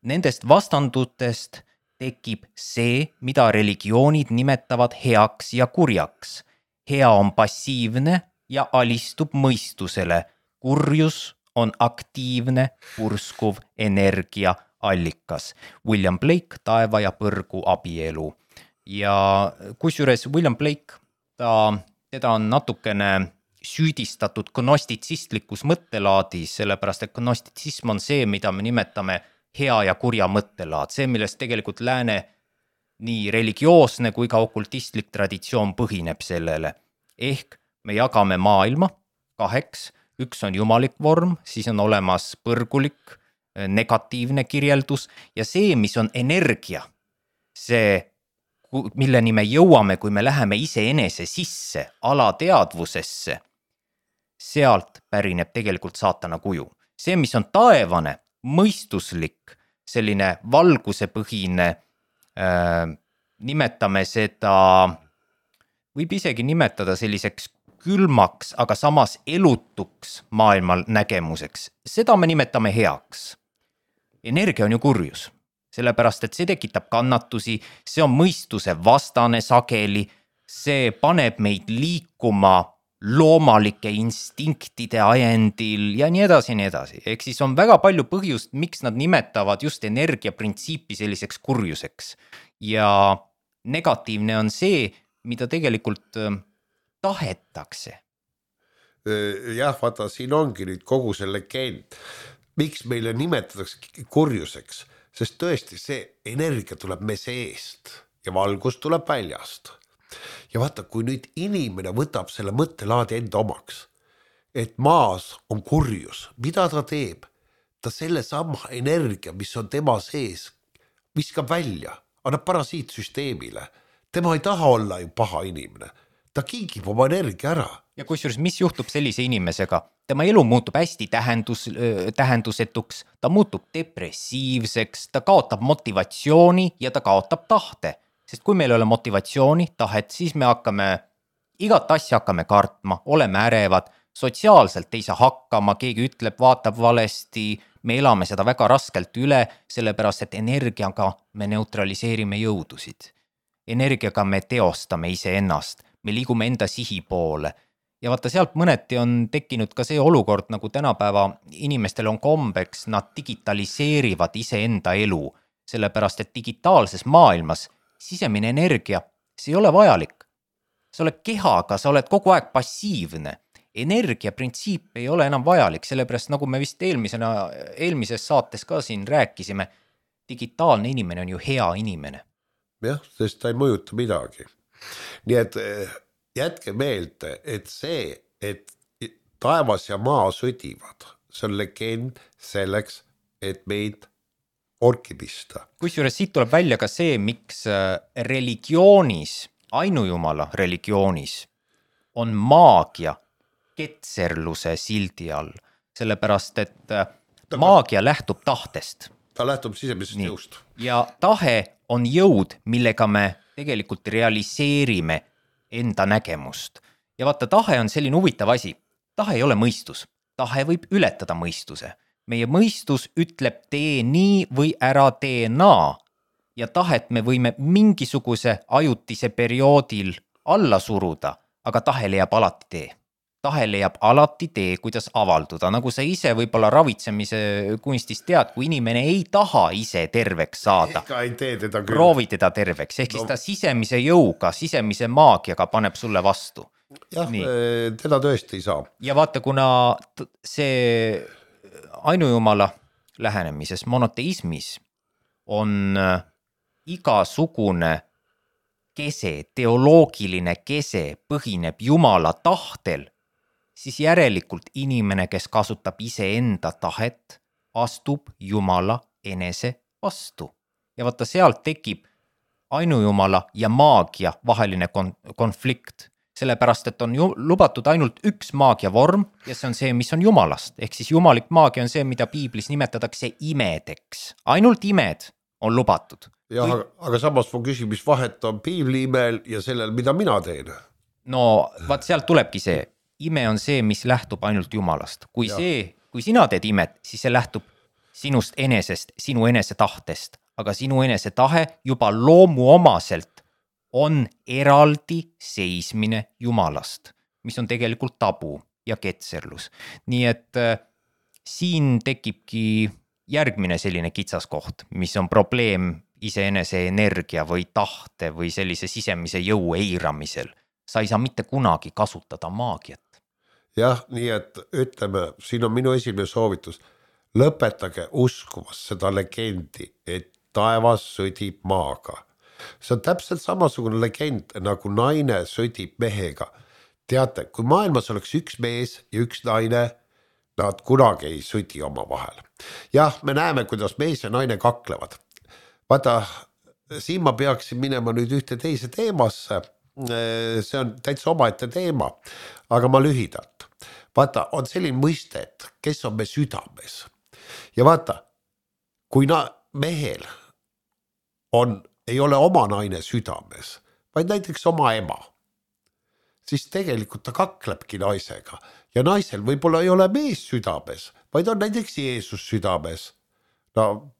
Nendest vastandutest tekib see, mida religioonid nimetavad heaks ja kurjaks. Hea on passiivne ja alistub mõistusele. Kurjus on aktiivne, purskuv energia allikas. William Blake, Taeva ja põrgu abielu. Ja kusjuures William Blake, ta, teda on natukene süüdistatud gnostitsistlikus mõttelaadis, sellepärast et gnostitsism on see, mida me nimetame hea ja kurja mõttelaad. See, millest tegelikult lääne nii religioosne kui ka okultistlik traditsioon põhineb sellele. Ehk me jagame maailma kaheks. Üks on jumalik vorm, siis on olemas põrgulik, negatiivne kirjeldus ja see, mis on energia, see, milleni me jõuame, kui me läheme iseenese sisse, alateadvusesse, sealt pärineb tegelikult saatana kuju. See, mis on taevane, mõistuslik, selline valgusepõhine, äh, nimetame seda, võib isegi nimetada selliseks külmaks, aga samas elutuks maailmal nägemuseks. Seda me nimetame heaks. Energia on ju kurjus, sellepärast et see tekitab kannatusi, see on mõistuse vastane sageli, see paneb meid liikuma loomalike instinktide ajendil ja nii edasi, nii edasi. Ehk siis on väga palju põhjust, miks nad nimetavad just energiaprintsiipi selliseks kurjuseks. Ja negatiivne on see, mida tegelikult tahetakse. Jah, vaata, siin ongi nüüd kogu see legend. Miks meile nimetatakse kurjuseks? Sest tõesti see energia tuleb me seest ja valgus tuleb väljast. Ja vaata, kui nüüd inimene võtab selle mõttelaadi enda omaks, et maas on kurjus, mida ta teeb? Ta selle sama energia, mis on tema sees, viskab välja, annab parasiitsüsteemile. Tema ei taha olla ju paha inimene. Ta kingib oma energia ära. Ja kusjuures, mis juhtub sellise inimesega? Tema elu muutub hästi tähendus, tähendusetuks, ta muutub depressiivseks, ta kaotab motivatsiooni ja ta kaotab tahte. Sest kui meil ei ole motivatsiooni, tahet, siis me hakkame, igat asja hakkame kartma, oleme ärevad, sotsiaalselt ei saa hakkama, keegi ütleb, vaatab valesti, me elame seda väga raskelt üle, sellepärast et energiaga me neutraliseerime jõudusid. Energiaga me teostame ise ennast, me liigume enda sihi poole. Ja vaata, sealt mõneti on tekkinud ka see olukord, nagu tänapäeva inimestel on kombeks, nad digitaliseerivad ise enda elu, sellepärast et digitaalses maailmas sisemine energia, see ei ole vajalik. Sa oled kehaga, sa oled kogu aeg passiivne. Energia printsiip ei ole enam vajalik, sellepärast nagu me vist eelmisena, eelmises saates ka siin rääkisime, digitaalne inimene on ju hea inimene. Jah, sest ta ei mõjuta midagi. Nii et jätke meelde, et see, et taevas ja maa sõdivad, see on legend selleks, et meid orki pista. Kusjuures siit tuleb välja ka see, miks religioonis, ainujumala religioonis on maagia ketserluse sildi all, sellepärast et maagia lähtub tahtest. Ta lähtub sisemisest jõust. Ja tahe on jõud, millega me tegelikult realiseerime enda nägemust. Ja vaata, tahe on selline huvitav asi. Tahe ei ole mõistus. Tahe võib ületada mõistuse. Meie mõistus ütleb tee nii või ära tee naa. Ja tahet me võime mingisuguse ajutise perioodil alla suruda, aga tahe leiab alati tee. Tahe leiab alati tee, kuidas avalduda. Nagu sa ise võib-olla ravitsemise kunstist tead, kui inimene ei taha ise terveks saada, ei tee teda küll. Proovi teda terveks, ehk no. siis ta sisemise jõuga, sisemise maagiaga paneb sulle vastu. Jah, Nii. teda tõesti ei saa. Ja vaata, kuna see ainujumala lähenemises, monoteismis on igasugune kese, teoloogiline kese põhineb Jumala tahtel, siis järelikult inimene, kes kasutab iseenda tahet, astub Jumala enese vastu. Ja vaata, sealt tekib ainujumala ja maagia vaheline kon- konflikt, sellepärast, et on ju, lubatud ainult üks maagia vorm ja see on see, mis on jumalast. Ehk siis jumalik maagia on see, mida piiblis nimetatakse imedeks. Ainult imed on lubatud. jah, Kui... aga samas mu küsin, mis vahet on piibli imel ja sellel, mida mina teen? No vaat sealt tulebki see. Ime on see, mis lähtub ainult jumalast. Kui, see, kui sina teed imet, siis see lähtub sinust enesest, sinu enese tahtest. Aga sinu enese tahe juba loomu omaselt on eraldi seismine jumalast, mis on tegelikult tabu ja ketserlus. Nii et äh, siin tekibki järgmine selline kitsaskoht, mis on probleem iseenese energia või tahte või sellise sisemise jõu eiramisel. Sa ei saa mitte kunagi kasutada maagiat. jah, nii et ütleme, siin on minu esimene soovitus. Lõpetage uskumas seda legendi, et taevas sõdib maaga. See on täpselt samasugune legend, nagu naine sõdib mehega. Teate, kui maailmas oleks üks mees ja üks naine, nad kunagi ei sõdi oma vahel. jah, me näeme, kuidas mees ja naine kaklevad. Vaata, siin ma peaksin minema nüüd ühte teise teemasse. See on täitsa omaette teema, aga ma lühidalt. Vaata, on selline mõiste, et kes on me südames. Ja vaata, kui na- mehel on, ei ole oma naine südames, vaid näiteks oma ema, siis tegelikult ta kaklebki naisega. Ja naisel võib-olla ei ole mees südames, vaid on näiteks Jeesus südames. No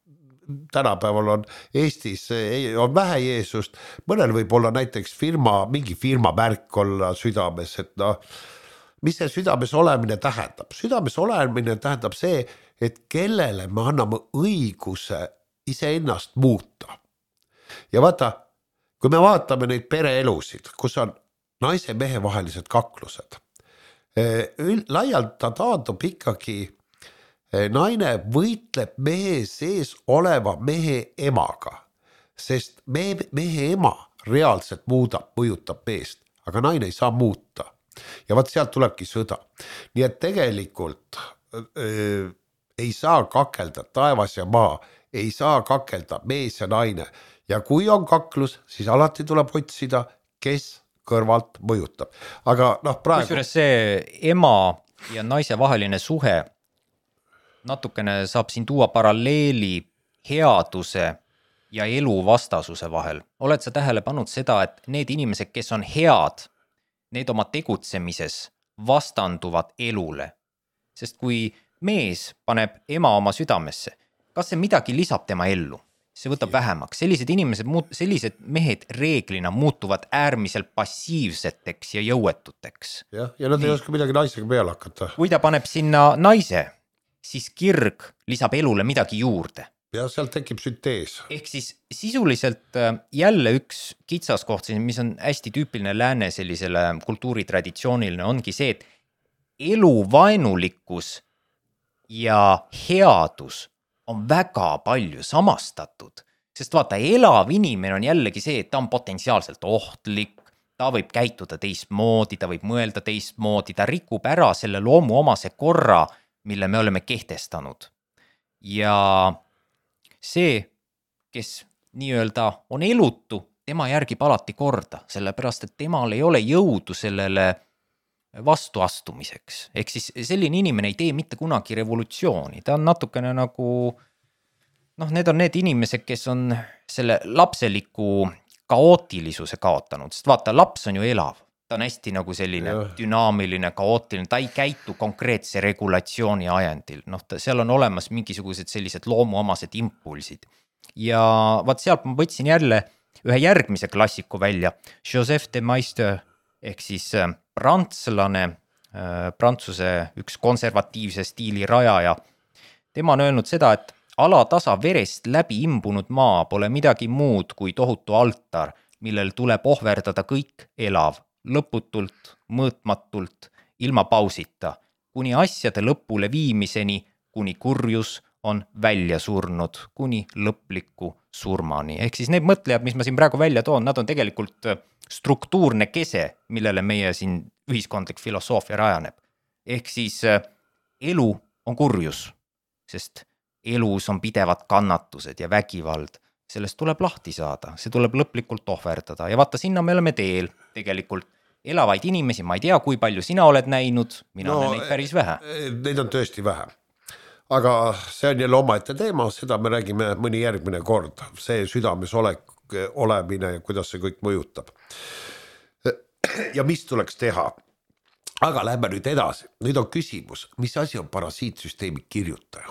tänapäeval on Eestis on vähe Jeesust, mõnel võib olla näiteks firma, mingi firma märk olla südames, et no, mis see südames olemine tähendab? Südames olemine tähendab see, et kellele me anname õiguse iseennast muuta. Ja vaata, kui me vaatame neid pereelusid, kus on naise mehe vahelised kaklused, laialt ta taandub ikkagi, naine võitleb mehe sees oleva mehe emaga, sest mehe, mehe ema reaalselt muudab, mõjutab meest, aga naine ei saa muuta. Ja vaat sealt tulebki sõda. Nii et tegelikult öö, ei saa kakelda taevas ja maa, ei saa kakelda mees ja naine. Ja kui on kaklus, siis alati tuleb otsida, kes kõrvalt mõjutab. Aga noh, praegu... Kusjuures see ema ja naise vaheline suhe natukene saab siin tuua paralleeli headuse ja elu vastasuse vahel. Oled sa tähele pannud seda, et need inimesed, kes on head, need oma tegutsemises vastanduvad elule. Sest kui mees paneb ema oma südamesse, kas see midagi lisab tema ellu? See võtab vähemaks. Sellised inimesed, sellised mehed reeglina muutuvad äärmiselt passiivseteks ja jõuetuteks. Ja, ja nad ei oska midagi naisega peale hakata. Kui ta paneb sinna naise, siis kirg lisab elule midagi juurde. Ja sealt tekib süntees. Ehk siis sisuliselt jälle üks kitsaskoht, mis on hästi tüüpiline lääne sellisele kultuuritraditsiooniline, ongi see, et eluvaenulikkus ja headus on väga palju samastatud, sest vaata, elav inimene on jällegi see, et ta on potentsiaalselt ohtlik, ta võib käituda teistmoodi, ta võib mõelda teistmoodi, ta rikub ära selle loomu omase korra, mille me oleme kehtestanud. Ja see, kes nii-öelda on elutu, tema järgib alati korda, sellepärast, et temal ei ole jõudu sellele vastuastumiseks. Ehk siis selline inimene ei tee mitte kunagi revolutsiooni. Ta on natukene nagu, noh, need on need inimesed, kes on selle lapseliku kaootilisuse kaotanud. Sest vaata, laps on ju elav. Ta on hästi nagu selline ja. dünaamiline, kaootiline. Ta ei käitu konkreetse regulatsiooni ajendil. Noh, ta, seal on olemas mingisugused sellised loomuomased impulsid. Ja vaat sealt ma võtsin jälle ühe järgmise klassiku välja. Joseph de Maistre ehk siis prantslane, prantsuse üks konservatiivse stiili rajaja. Tema on öelnud seda, et alatasa verest läbi imbunud maa pole midagi muud kui tohutu altar, millel tuleb ohverdada kõik elav, lõputult, mõõtmatult, ilma pausita, kuni asjade lõpule viimiseni, kuni kurjus on välja surnud, kuni lõpliku surmani. Ehk siis need mõtlejad, mis ma siin praegu välja toon, nad on tegelikult struktuurne kese, millele meie siin ühiskondlik filosoofia rajaneb. Ehk siis elu on kurjus, sest elus on pidevad kannatused ja vägivald. Sellest tuleb lahti saada, see tuleb lõplikult ohverdada. Ja vaata, sinna me oleme teel tegelikult. elavaid inimesi, ma ei tea, kui palju sina oled näinud, mina no, olen neid päris vähe. Neid on tõesti vähe. Aga see on jälle omaette teema, seda me räägime mõni järgmine kord. See südames olek, olemine ja kuidas see kõik mõjutab. Ja mis tuleks teha? Aga lähme nüüd edasi. Nüüd on küsimus, mis asi on parasiitsüsteemi kirjutaja?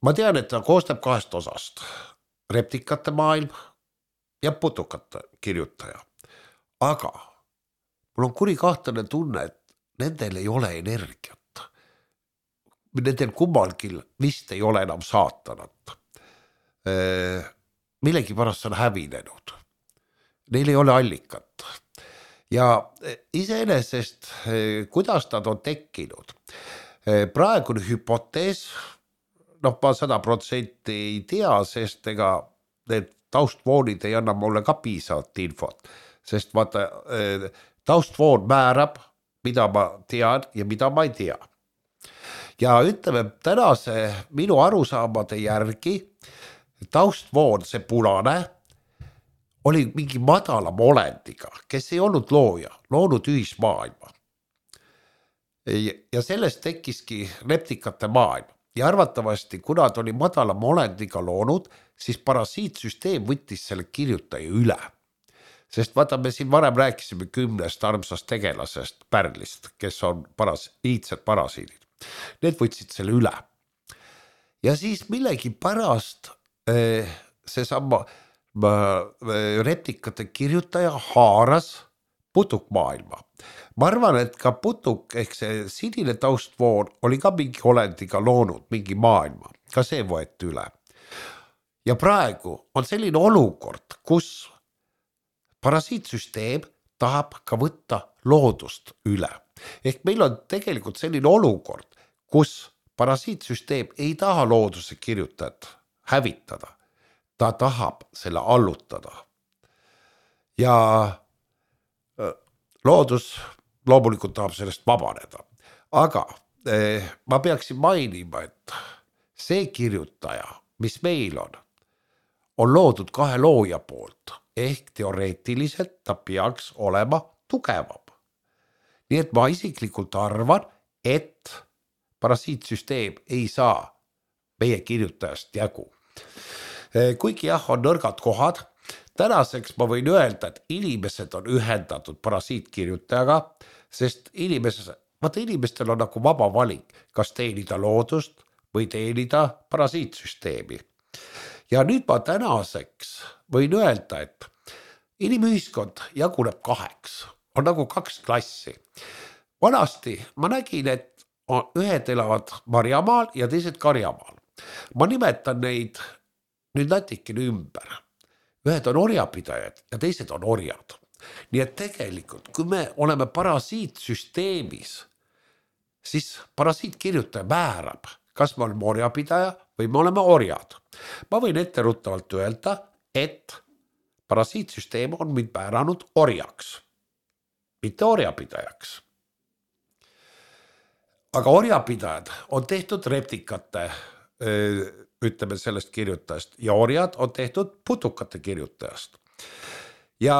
Ma tean, et ta koostab kahest osast. Reptikate maailm ja putukate kirjutaja. Aga mul on kuri kahtlane tunne, et nendel ei ole energiat. Nendel kummalgi vist ei ole enam saatanat. Millegi pärast on hävinenud. Neil ei ole allikat. Ja iseenesest, kuidas nad on tekkinud? Praegune hüpotees, noh ma sada protsenti ei tea, sest ega need taustvoonid ei anna mulle ka piisavat infot. Sest vaata, taustvoon määrab, mida ma tean ja mida ma ei tea. Ja ütleme, tänase minu arusaamade järgi taustvoon, see punane, oli mingi madalam olendiga, kes ei olnud looja, loonud ühismaailma. Ja sellest tekkiski reptikate maailm. Ja arvatavasti, kuna ta oli madalam olendiga loonud, siis parasiitsüsteem võttis selle kirjutaja üle. Sest vaata, me siin varem rääkisime kümnest armsast tegelasest Pärlist, kes on paras, iidsed parasiidid. Need võtsid selle üle. Ja siis millegi pärast see sama reptikate kirjutaja haaras putukmaailma. Ma arvan, et ka putuk ehk see sinine taustvoon oli ka mingi olendiga loonud mingi maailma. Ka see võeti üle. Ja praegu on selline olukord, kus parasiitsüsteem tahab ka võtta loodust üle. Ehk meil on tegelikult selline olukord, kus parasiitsüsteem ei taha looduse kirjutajat hävitada. Ta tahab selle allutada. Ja loodus loomulikult tahab sellest vabaneda. Aga eh, ma peaksin mainima, et see kirjutaja, mis meil on, on loodud kahe looja poolt. Ehk teoreetiliselt ta peaks olema tugevam. Nii et ma isiklikult arvan, et parasiitsüsteem ei saa meie kirjutajast jagu. Kuigi jah, on nõrgad kohad, tänaseks ma võin öelda, et inimesed on ühendatud parasiitkirjutajaga, sest inimesed, vaata inimestel on nagu vaba valik, kas teenida loodust või teenida parasiitsüsteemi. Ja nüüd ma tänaseks võin öelda, et inimühiskond jaguneb kaheks, on nagu kaks klassi. Vanasti ma nägin, et ühed elavad marjamaal ja teised karjamaal. Ma nimetan neid nüüd natikene ümber. Ühed on orjapidajad ja teised on orjad. Nii et tegelikult, kui me oleme parasiitsüsteemis, siis parasiitkirjutaja määrab, kas me oleme orjapidaja või me oleme orjad. Ma võin ette ruttavalt öelda, et parasiitsüsteem on mind määranud orjaks, mitte orjapidajaks. Aga orjapidajad on tehtud reptikate, ütleme sellest kirjutajast, ja orjad on tehtud putukate kirjutajast. Ja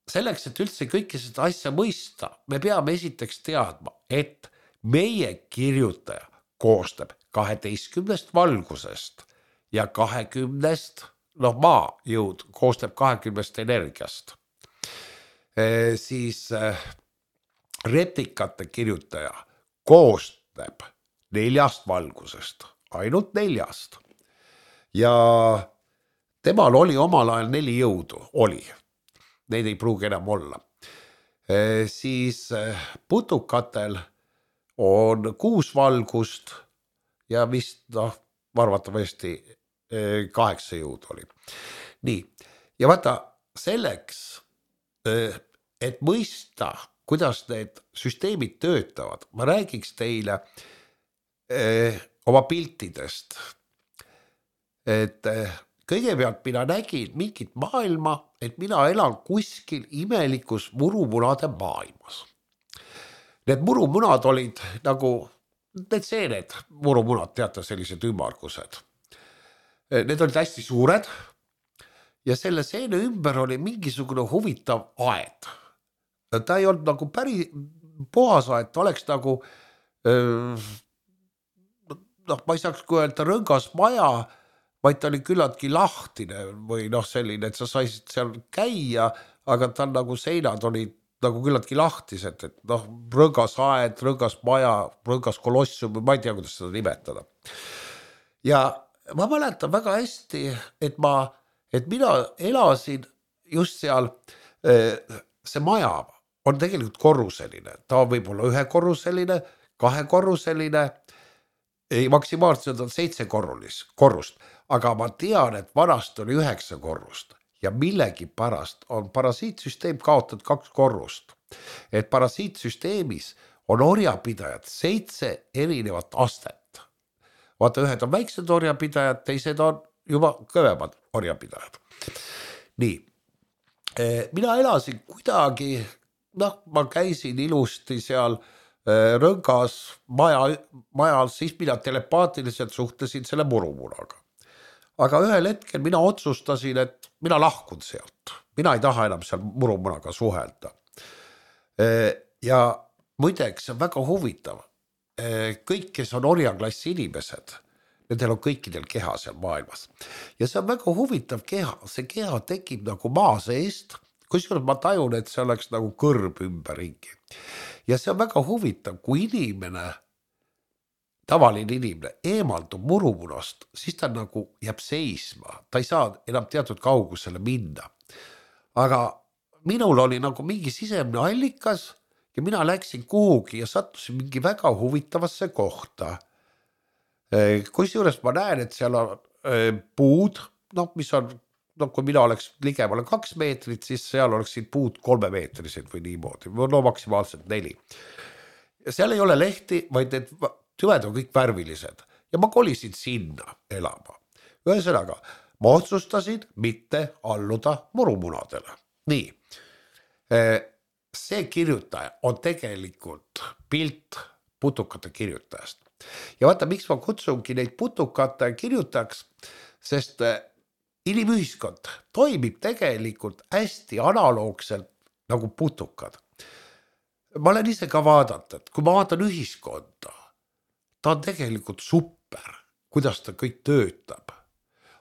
selleks, et üldse kõike seda asja mõista, me peame esiteks teadma, et meie kirjutaja koostab kaheteistkümnest valgusest ja kahekümnest, noh maa jõud koostab kahekümnest energiast. E, siis e, reptikate kirjutaja koostab neljast valgusest, ainult neljast. Ja temal oli omal ajal neli jõudu, oli. Neid ei pruugi enam olla. E, siis e, putukatel on kuus valgust ja vist noh, arvatavasti kaheksa jõud oli. Nii, ja vaata selleks, et mõista, kuidas need süsteemid töötavad, ma räägiks teile oma piltidest. Et kõigepealt mina nägin mingit maailma, et mina elan kuskil imelikus murumunade maailmas. Need murumunad olid nagu, need seened murumunad, teate, sellised ümmargused. Need olid hästi suured ja selle seene ümber oli mingisugune huvitav aed. Ta ei olnud nagu päris puhas aed, ta oleks nagu noh, ma ei saaks kui öelda rõngas maja, vaid ta oli küllaltki lahtine või noh selline, et sa saisid seal käia, aga tal nagu seinad olid nagu küllaltki lahtised, et noh, rõngas aed, rõngas maja, rõngas kolossium, ma ei tea, kuidas seda nimetada. Ja ma mäletan väga hästi, et ma, et mina elasin just seal, see maja on tegelikult korruseline, ta on võib-olla ühekorruseline, kahekorruseline, ei, maksimaalselt on seitse korrulis, korrust, aga ma tean, et vanast oli üheksa korrust ja millegi pärast on parasiitsüsteem kaotanud kaks korrust. Et parasiitsüsteemis on orjapidajad seitse erinevat astet. Vaata, ühed on väiksed orjapidajad, teised on juba kõvemad orjapidajad. Nii, mina elasin kuidagi, noh, ma käisin ilusti seal rõngas maja, majal, siis mina telepaatiliselt suhtlesin selle murumunaga. Aga ühel hetkel mina otsustasin, et mina lahkun sealt. Mina ei taha enam seal murumunaga suhelda. Ja muideks on väga huvitav. Kõik, kes on orjaklassi inimesed, nendel on kõikidel keha seal maailmas. Ja see on väga huvitav keha. See keha tekib nagu maa seest, kusjuures ma tajun, et see oleks nagu kõrb ümberringi. Ja see on väga huvitav, kui inimene, tavaline inimene, eemaldub murumunast, siis ta nagu jääb seisma. Ta ei saa enam teatud kaugusele minna. Aga minul oli nagu mingi sisemne allikas ja mina läksin kuhugi ja sattusin mingi väga huvitavasse kohta. Kusjuures ma näen, et seal on puud, noh, mis on, no kui mina oleks ligemale kaks meetrit, siis seal oleksid puud kolme meetrised või niimoodi, no maksimaalselt neli. Ja seal ei ole lehti, vaid need tüved on kõik värvilised ja ma kolisin sinna elama. Ühesõnaga, ma otsustasin mitte alluda murumunadele. Nii, see kirjutaja on tegelikult pilt putukate kirjutajast. Ja vaata, miks ma kutsungi neid putukate kirjutajaks, sest inimühiskond toimib tegelikult hästi analoogselt nagu putukad. Ma olen ise ka vaadata, et kui ma vaatan ühiskonda, ta on tegelikult super, kuidas ta kõik töötab.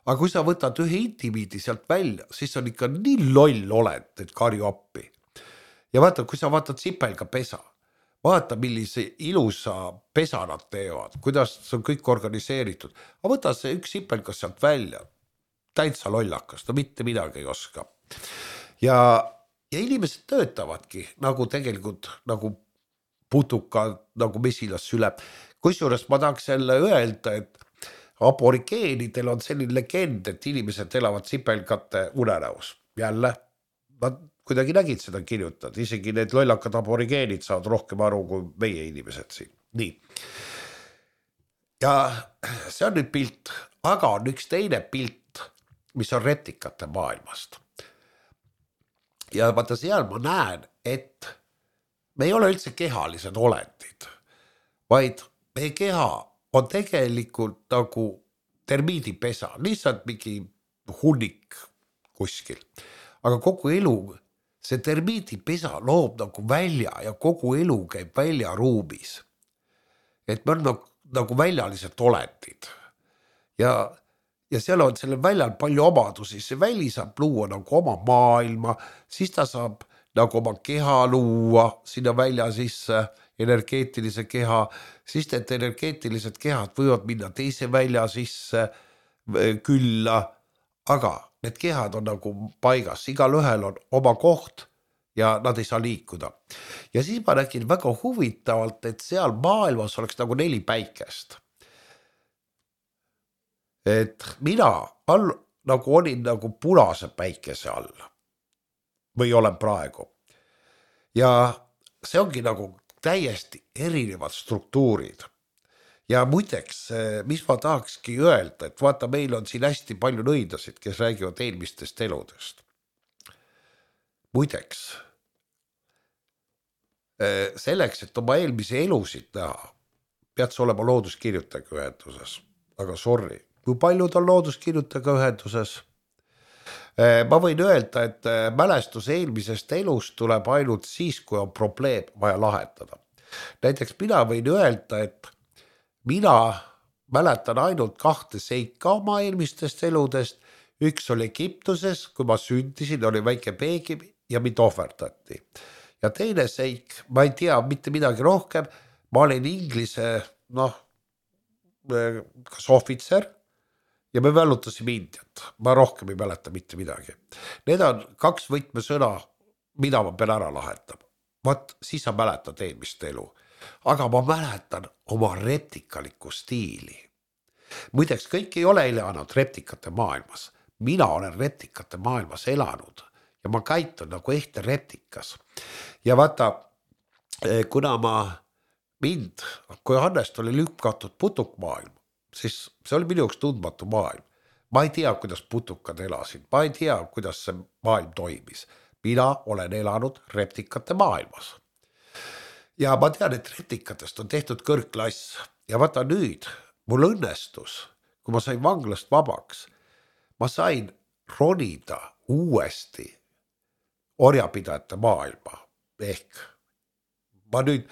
Aga kui sa võtad ühe indiviidi sealt välja, siis on ikka nii loll oled, et karju appi. Ja vaata, kui sa vaatad sipelga pesa, vaata, millise ilusa pesa nad teevad, kuidas see on kõik organiseeritud. Aga võta see üks sipelgas sealt välja, täitsa lollakas, ta mitte midagi ei oska. Ja, ja inimesed töötavadki nagu tegelikult nagu putukad, nagu mesilas süle. Kusjuures ma tahaks selle öelda, et aborigeenidel on selline legend, et inimesed elavad sipelgate unenäos. Jälle, nad kuidagi nägid seda kirjutad, isegi need lollakad aborigeenid saavad rohkem aru kui meie inimesed siin. Nii. Ja see on nüüd pilt, aga on üks teine pilt, mis on retikate maailmast. Ja vaata seal ma näen, et me ei ole üldse kehalised olendid, vaid meie keha on tegelikult nagu termiidipesa, lihtsalt mingi hunnik kuskil. Aga kogu elu, see termiidipesa loob nagu välja ja kogu elu käib välja ruumis. Et me on nagu, nagu väljalised olendid. Ja, ja seal on sellel väljal palju omadusi. See väli saab luua nagu oma maailma, siis ta saab nagu oma keha luua sinna välja sisse, energeetilise keha, siis need energeetilised kehad võivad minna teise välja sisse külla, aga need kehad on nagu paigas, igal ühel on oma koht ja nad ei saa liikuda. Ja siis ma nägin väga huvitavalt, et seal maailmas oleks nagu neli päikest. Et mina all, nagu olin nagu punase päikese all või olen praegu. Ja see ongi nagu täiesti erinevad struktuurid. Ja muideks, mis ma tahakski öelda, et vaata, meil on siin hästi palju nõidasid, kes räägivad eelmistest eludest. Muideks, selleks, et oma eelmise elusid näha, pead sa olema looduskirjutajaga ühenduses. Aga sorry, kui paljud on looduskirjutajaga ühenduses? ma võin öelda, et mälestus eelmisest elust tuleb ainult siis, kui on probleem vaja lahendada. Näiteks mina võin öelda, et mina mäletan ainult kahte seika oma eelmistest eludest. Üks oli Egiptuses, kui ma sündisin, oli väike peegi ja mind ohverdati. Ja teine seik, ma ei tea mitte midagi rohkem, ma olin inglise, noh, kas ohvitser ja me välutasime Indiat. Ma rohkem ei mäleta mitte midagi. Need on kaks võtmesõna, mida ma pean ära lahendama. Vaat, siis sa mäletad eelmist elu. Aga ma mäletan oma reptikalikku stiili. Muideks, kõik ei ole elanud reptikate maailmas. Mina olen reptikate maailmas elanud ja ma käitun nagu ehte reptikas. Ja vaata, kuna ma mind, kui Hannest oli lükkatud putukmaailma, siis see oli minu jaoks tundmatu maailm. Ma ei tea, kuidas putukad elasid, ma ei tea, kuidas see maailm toimis. Mina olen elanud reptikate maailmas. Ja ma tean, et reptikatest on tehtud kõrgklass. Ja vaata nüüd, mul õnnestus, kui ma sain vanglast vabaks, ma sain ronida uuesti orjapidajate maailma. Ehk ma nüüd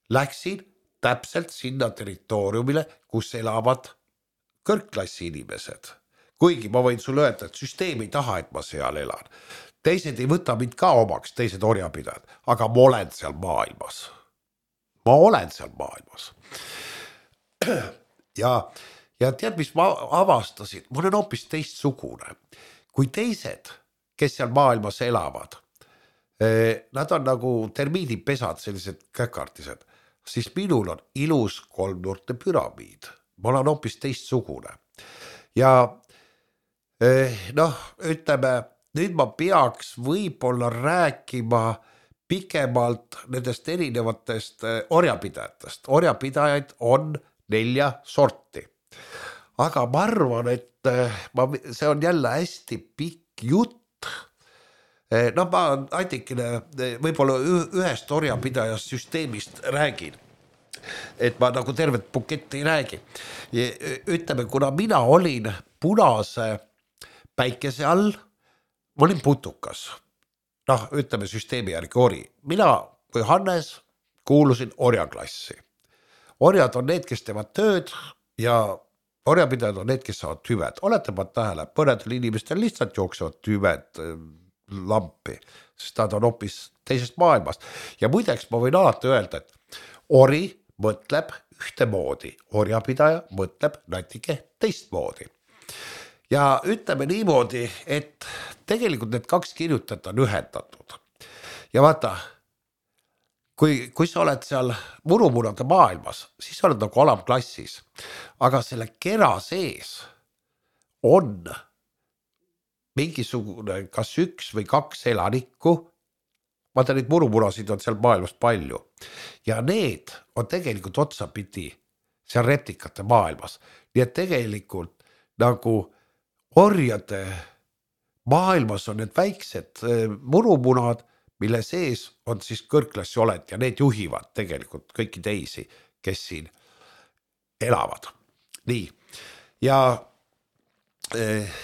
läksin täpselt sinna territooriumile, kus elavad kõrgklassi inimesed. Kuigi ma võin sulle öelda, et süsteem ei taha, et ma seal elan. Teised ei võta mind ka omaks, teised orjapidajad, aga ma olen seal maailmas. Ma olen seal maailmas. Ja, ja tead, mis ma avastasin? Ma olen hoopis teistsugune. Kui teised, kes seal maailmas elavad, nad on nagu termiidipesad, sellised käkartised, siis minul on ilus kolmnurte püramiid. Ma olen hoopis teistsugune. Ja noh, ütleme, nüüd ma peaks võib-olla rääkima pikemalt nendest erinevatest orjapidajatest. Orjapidajaid on nelja sorti. Aga ma arvan, et ma, see on jälle hästi pikk jutt. No ma aitikene võib-olla ühest orjapidajast süsteemist räägin. Et ma nagu tervet buketti ei räägi. Ütleme, kuna mina olin punase päikese all, ma olin putukas. Noh, ütleme süsteemi järgi ori. Mina kui Hannes kuulusin orjaklassi. Orjad on need, kes teevad tööd ja orjapidajad on need, kes saavad tüved. Olete ma tähele, põnedel inimestel lihtsalt jooksevad tüved lampi, sest nad on hoopis teisest maailmast. Ja muideks ma võin alati öelda, et ori mõtleb ühtemoodi, orjapidaja mõtleb natike teistmoodi. Ja ütleme niimoodi, et tegelikult need kaks kirjutajat on ühendatud. Ja vaata, kui, kui sa oled seal murumunade maailmas, siis sa oled nagu alamklassis. Aga selle kera sees on mingisugune kas üks või kaks elanikku. Vaata, neid murumunasid on seal maailmas palju. Ja need on tegelikult otsapidi seal reptikate maailmas. Nii et tegelikult nagu orjade maailmas on need väiksed murumunad, mille sees on siis kõrgklassi oled ja need juhivad tegelikult kõiki teisi, kes siin elavad. Nii, ja eh,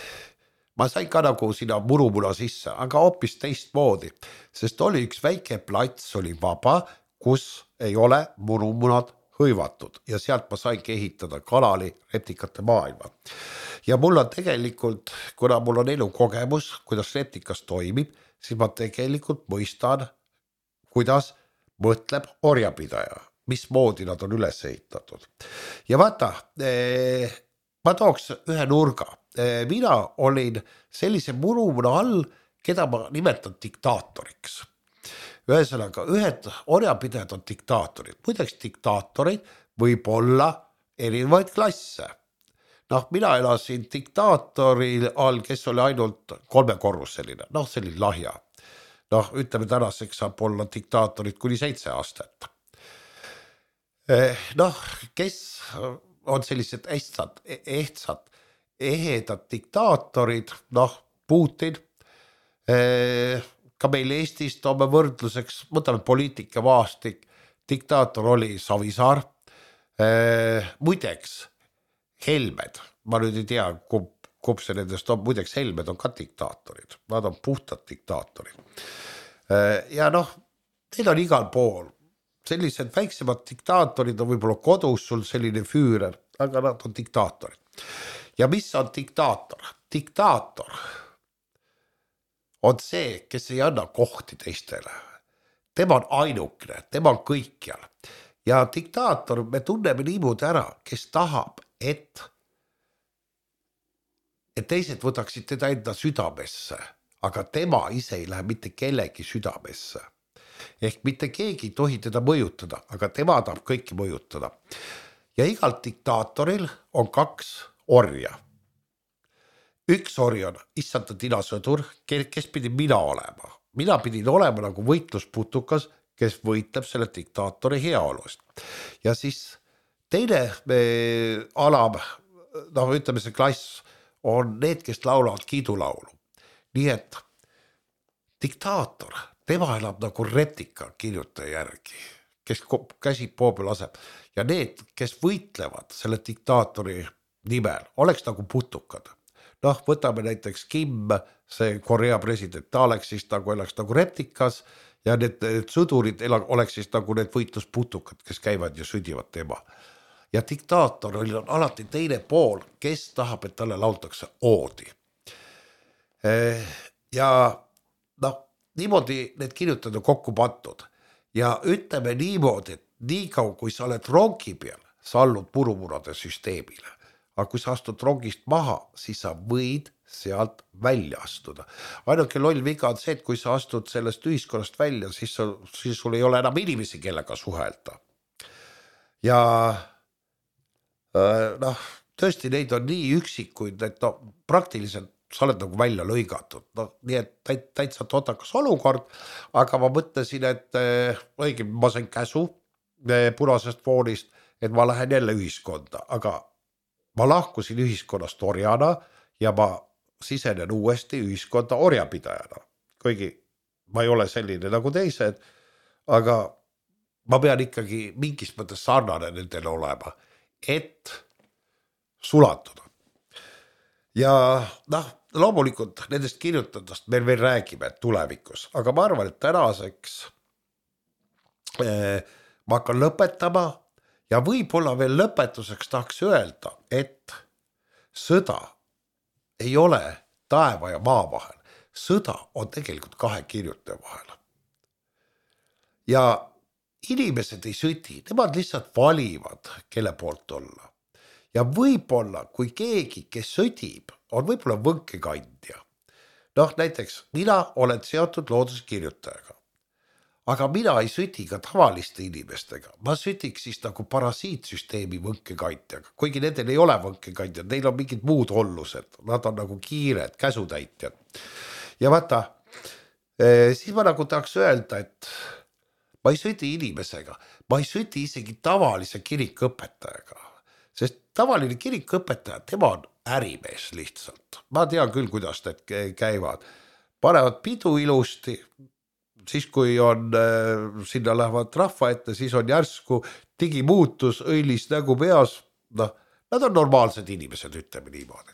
ma sain ka nagu sinna murumuna sisse, aga hoopis teistmoodi, sest oli üks väike plats, oli vaba, kus ei ole murumunad hõivatud ja sealt ma saingi ehitada kanali reptikate maailma. Ja mul on tegelikult, kuna mul on elukogemus, kuidas reptikas toimib, siis ma tegelikult mõistan, kuidas mõtleb orjapidaja, mismoodi nad on üles ehitatud. Ja vaata, eh, ma tooks ühe nurga. Eh, mina olin sellise murumuna all, keda ma nimetan diktaatoriks. Ühesõnaga, ühed orjapidajad on diktaatorid. Muideks diktaatorid võib olla erinevaid klasse. Noh, mina elasin diktaatori all, kes oli ainult kolmekorruseline. Noh, see oli lahja. Noh, ütleme tänaseks saab olla diktaatorid kuni seitse aastat. Noh, kes on sellised ehtsad, ehtsad, ehedad diktaatorid, noh, Putin, ka meil Eestis toome võrdluseks, võtame poliitika maastik, diktaator oli Savisaar, muideks Helmed, ma nüüd ei tea, kumb kumb see nendest on, muideks Helmed on ka diktaatorid, nad on puhtad diktaatorid. Ja noh, need on igal pool, sellised väiksemad diktaatorid on võib-olla kodus sul selline füürer, aga nad on diktaatorid. Ja mis on diktaator? Diktaator on see, kes ei anna kohti teistele. Tema on ainukene, tema on kõikjal. Ja diktaator, me tunneme niimoodi ära, kes tahab, et, et teised võtaksid teda enda südamesse, aga tema ise ei lähe mitte kellegi südamesse. Ehk mitte keegi ei tohi teda mõjutada, aga tema tahab kõiki mõjutada. Ja igal diktaatoril on kaks orja. Üks ori on issanta tinasõdur, kes pidi mina olema. Mina pidin olema nagu võitlusputukas, kes võitleb selle diktaatori heaolust. Ja siis teine me, alam, noh ütleme see klass, on need, kes laulavad kiidulaulu. Nii et diktaator, tema elab nagu retika kirjutaja järgi, kes käsib poobel aseb. Ja need, kes võitlevad selle diktaatori nimel, oleks nagu putukad. Noh, võtame näiteks Kim, see Korea president, ta oleks siis nagu, oleks nagu reptikas ja need, need sõdurid oleks siis nagu need võitlusputukad, kes käivad ja südivad tema. Ja diktaatoril on alati teine pool, kes tahab, et talle laultakse oodi. Ja noh, niimoodi need kirjutada kokku pandud. Ja ütleme niimoodi, et nii kaua, kui sa oled rongi peal, sa allud purumurade süsteemile. Aga kui sa astud rongist maha, siis sa võid sealt välja astuda. Ainuke loll viga on see, et kui sa astud sellest ühiskonnast välja, siis, sa, siis sul ei ole enam inimesi, kellega suhelda. Ja noh, tõesti neid on nii üksikuid, et no, praktiliselt sa oled nagu välja lõigatud. No, nii et täit, täitsa totakas olukord, aga ma mõtlesin, et õige, ma sain käsu punasest foonist, et ma lähen jälle ühiskonda, aga ma lahkusin ühiskonnast orjana ja ma sisenen uuesti ühiskonda orjapidajana. Kuigi ma ei ole selline nagu teised, aga ma pean ikkagi mingis mõttes sarnane nendele olema, et sulatuda. Ja noh, loomulikult nendest kirjutadest meil veel räägime tulevikus, aga ma arvan, et tänaseks eh, ma hakkan lõpetama. Ja võib-olla veel lõpetuseks tahaks öelda, et sõda ei ole taeva ja maa vahel. Sõda on tegelikult kahe kirjutaja vahel. Ja inimesed ei sõdi, nemad lihtsalt valivad, kelle poolt olla. Ja võib-olla, kui keegi, kes sõdib, on võib-olla võnkekandja. Noh, näiteks mina olen seotud looduskirjutajaga. Aga mina ei süti ka tavaliste inimestega. Ma sütiks siis nagu parasiitsüsteemi võnkekandjaga. Kuigi nendel ei ole võnkekandjad, neil on mingid muud ollused. Nad on nagu kiired, käsutäitjad. Ja vaata, siis ma nagu tahaks öelda, et ma ei süti inimesega. Ma ei süti isegi tavalise kirikõpetajaga. Sest tavaline kirikõpetaja, tema on ärimees lihtsalt. Ma tean küll, kuidas need käivad. Panevad pidu ilusti. Siis kui on, sinna lähevad rahva ette, siis on järsku digimuutus, õilis nägu peas. No, nad on normaalsed inimesed, ütleme niimoodi.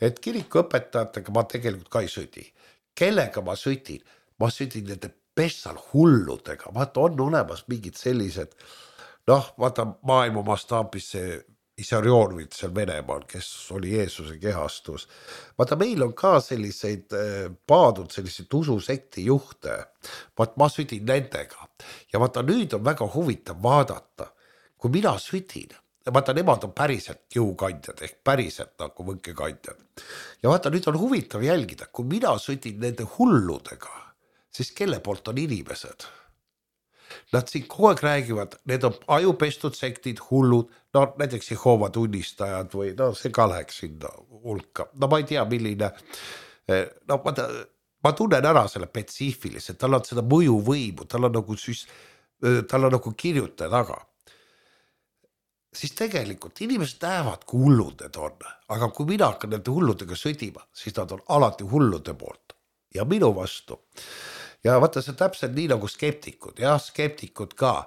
Et kirikuõpetajatega ma tegelikult ka ei südi. Kellega ma sütin? Ma sütin nende pessal hulludega. Vaata, on olemas mingid sellised, noh, vaata maailma mastaabis see Isarionovit seal Venemaal, kes oli Jeesuse kehastus. Vaata, meil on ka selliseid paadud, selliseid ususekti juhte. Vaat ma sütin nendega. Ja vaata, nüüd on väga huvitav vaadata, kui mina sütin. Vaata, nemad on päriselt jõukandjad, ehk päriselt nagu võnkekandjad. Ja vaata, nüüd on huvitav jälgida, kui mina sütin nende hulludega, siis kelle poolt on inimesed? Nad siin kogu aeg räägivad, need on ajupestud sektid, hullud, no näiteks Jehova tunnistajad või no see ka läheks sinna hulka. No ma ei tea, milline, no ma, ma tunnen ära selle spetsiifiliselt, tal on seda mõjuvõimu, tal on nagu, süs, tal on nagu kirjutaja taga. Siis tegelikult inimesed näevad, kui hullud need on, aga kui mina hakkan nende hulludega sõdima, siis nad on alati hullude poolt ja minu vastu. Ja vaata, see täpselt nii nagu skeptikud, jah, skeptikud ka.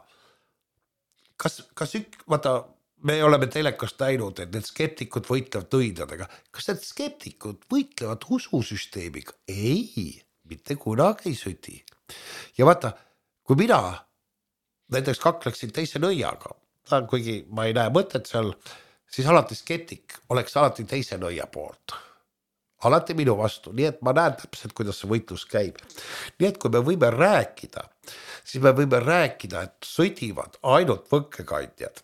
Kas, kas ük, vaata, me oleme telekast näinud, et need skeptikud võitlevad nõidadega. Kas need skeptikud võitlevad ususüsteemiga? Ei, mitte kunagi ei südi. Ja vaata, kui mina näiteks kakleksin teise nõiaga, kuigi ma ei näe mõtet seal, siis alati skeptik oleks alati teise nõia poolt. Alati minu vastu, nii et ma näen täpselt, kuidas see võitlus käib. Nii et kui me võime rääkida, siis me võime rääkida, et sõdivad ainult võkkekandjad.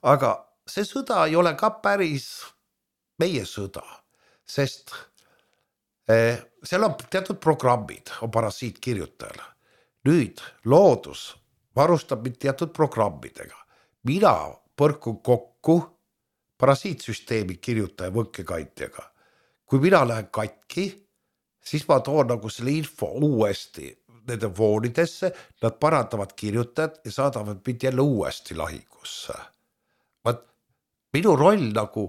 Aga see sõda ei ole ka päris meie sõda, sest eh, seal on teatud programmid, on parasiitkirjutajal. Nüüd loodus varustab mind teatud programmidega. Mina põrkun kokku parasiitsüsteemi kirjutaja võkkekandjaga. Kui mina lähen katki, siis ma toon nagu selle info uuesti nende voonidesse, nad parandavad kirjutajad ja saadavad mind jälle uuesti lahingusse. Vaat, minu roll nagu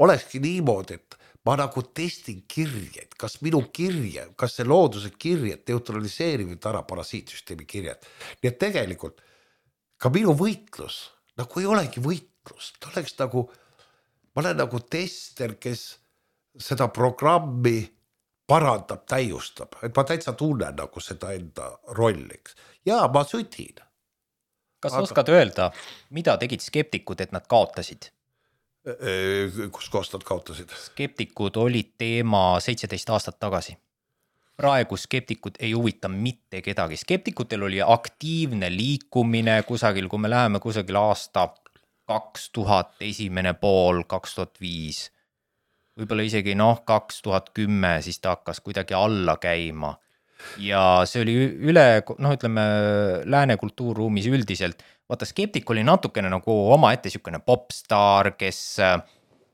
olekski niimoodi, et ma nagu testin kirjed, kas minu kirje, kas see looduse kirjed neutraliseerivad ära parasiitsüsteemi kirjed. Nii et tegelikult ka minu võitlus nagu ei olegi võitlus, ta oleks nagu, ma olen nagu tester, kes seda programmi parandab, täiustab, et ma täitsa tunnen nagu seda enda rolliks. Ja ma sütin. Kas Aga... oskad öelda, mida tegid skeptikud, et nad kaotasid? Kus kohast nad kaotasid? Skeptikud olid teema seitseteist aastat tagasi. Praegu skeptikud ei huvita mitte kedagi. Skeptikutel oli aktiivne liikumine kusagil, kui me läheme kusagil aasta kaks tuhat esimene pool, kaks tuhat viis. Võib-olla isegi noh, kaks tuhat kümme, siis ta hakkas kuidagi alla käima. Ja see oli üle, noh ütleme, lääne kultuurruumis üldiselt. Vaata, skeptik oli natukene nagu oma ette sükene popstar, kes,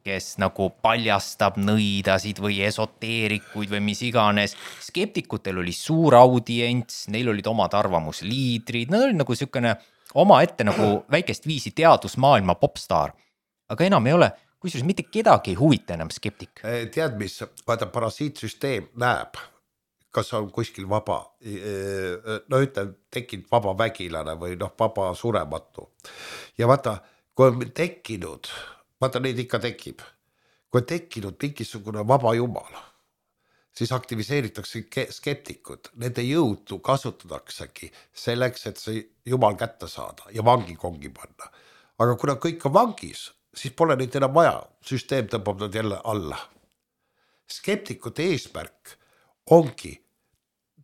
kes nagu paljastab nõidasid või esoteerikuid või mis iganes. Skeptikutel oli suur audients, neil olid omad arvamusliidrid, nad olid nagu sükene oma ette nagu väikest viisi teadusmaailma popstar. Aga enam ei ole... Kusjuures mitte kedagi ei huvita enam skeptik. Tead mis, vaata parasiitsüsteem näeb, kas on kuskil vaba, no ütlem, tekkinud vaba vägilane või noh, vaba surematu. Ja vaata, kui on tekkinud, vaata neid ikka tekib, kui on tekkinud mingisugune vaba jumal, siis aktiviseeritakse skeptikud, nende jõudu kasutadaksegi selleks, et see jumal kätte saada ja vangi kongi panna. Aga kuna kõik on vangis, siis pole neid enam vaja, süsteem tõmbab nad jälle alla. Skeptikute eesmärk ongi,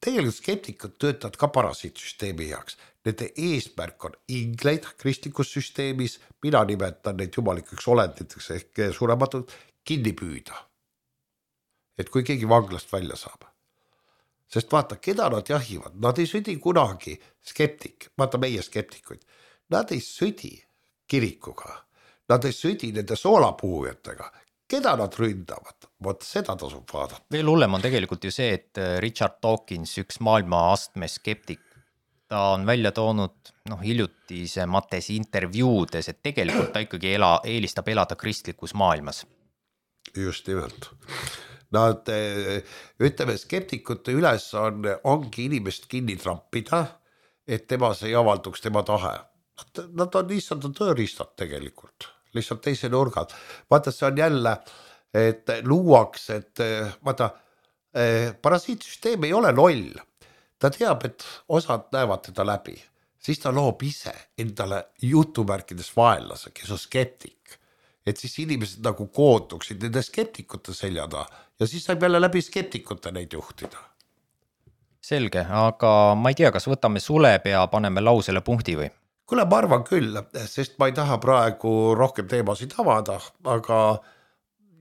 tegelikult skeptikud töötavad ka parasiitsüsteemi heaks. Nende eesmärk on ingleid kristlikus süsteemis, mina nimetan neid jumalikeks olenditeks ehk surematud, kinni püüda. Et kui keegi vanglast välja saab. Sest vaata, keda nad jahivad, nad ei südi kunagi skeptik, vaata meie skeptikuid, nad ei südi kirikuga. Nad ei südi nende soolapuhujatega. Keda nad ründavad? Vot seda tasub vaadata. Veel hullem on tegelikult ju see, et Richard Dawkins, üks maailma astme skeptik, ta on välja toonud noh, hiljutise Matesi intervjuudes, et tegelikult ta ikkagi ela, eelistab elada kristlikus maailmas. Just nimelt. Nad, ütleme, skeptikute üles on, ongi inimest kinni trampida, et tema see ei avalduks tema tahe. Nad, nad on lihtsalt tööriistad tegelikult. Lihtsalt teise nurgad. Vaata, see on jälle, et luuaks, et vaata, parasiitsüsteem ei ole loll. Ta teab, et osad näevad teda läbi. Siis ta loob ise endale jutumärkides vaenlase, kes on skeptik. Et siis inimesed nagu kootuksid nende skeptikute seljada ja siis saab jälle läbi skeptikute neid juhtida. Selge, aga ma ei tea, kas võtame sulepea, paneme lausele punkti või? Kuule, ma arvan küll, sest ma ei taha praegu rohkem teemasid avada, aga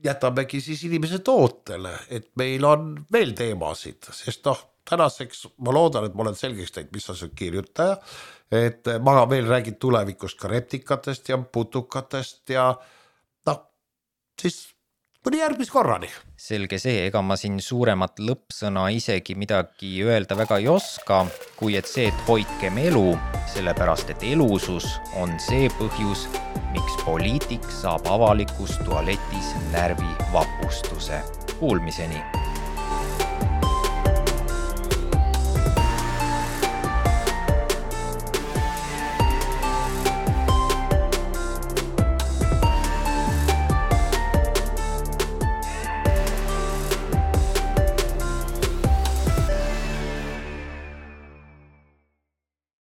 jätamegi siis inimese tootele, et meil on veel teemasid, sest noh, tänaseks ma loodan, et ma olen selgeks teinud, mis on see kirjutaja, et ma veel räägin tulevikust ka reptikatest ja putukatest ja noh, siis kuni järgmis korrani. Selge see, ega ma siin suuremat lõppsõna isegi midagi öelda väga ei oska, kui et see, et hoidkem elu, sellepärast et elusus on see põhjus, miks poliitik saab avalikus tualetis närvi vapustuse. Kuulmiseni!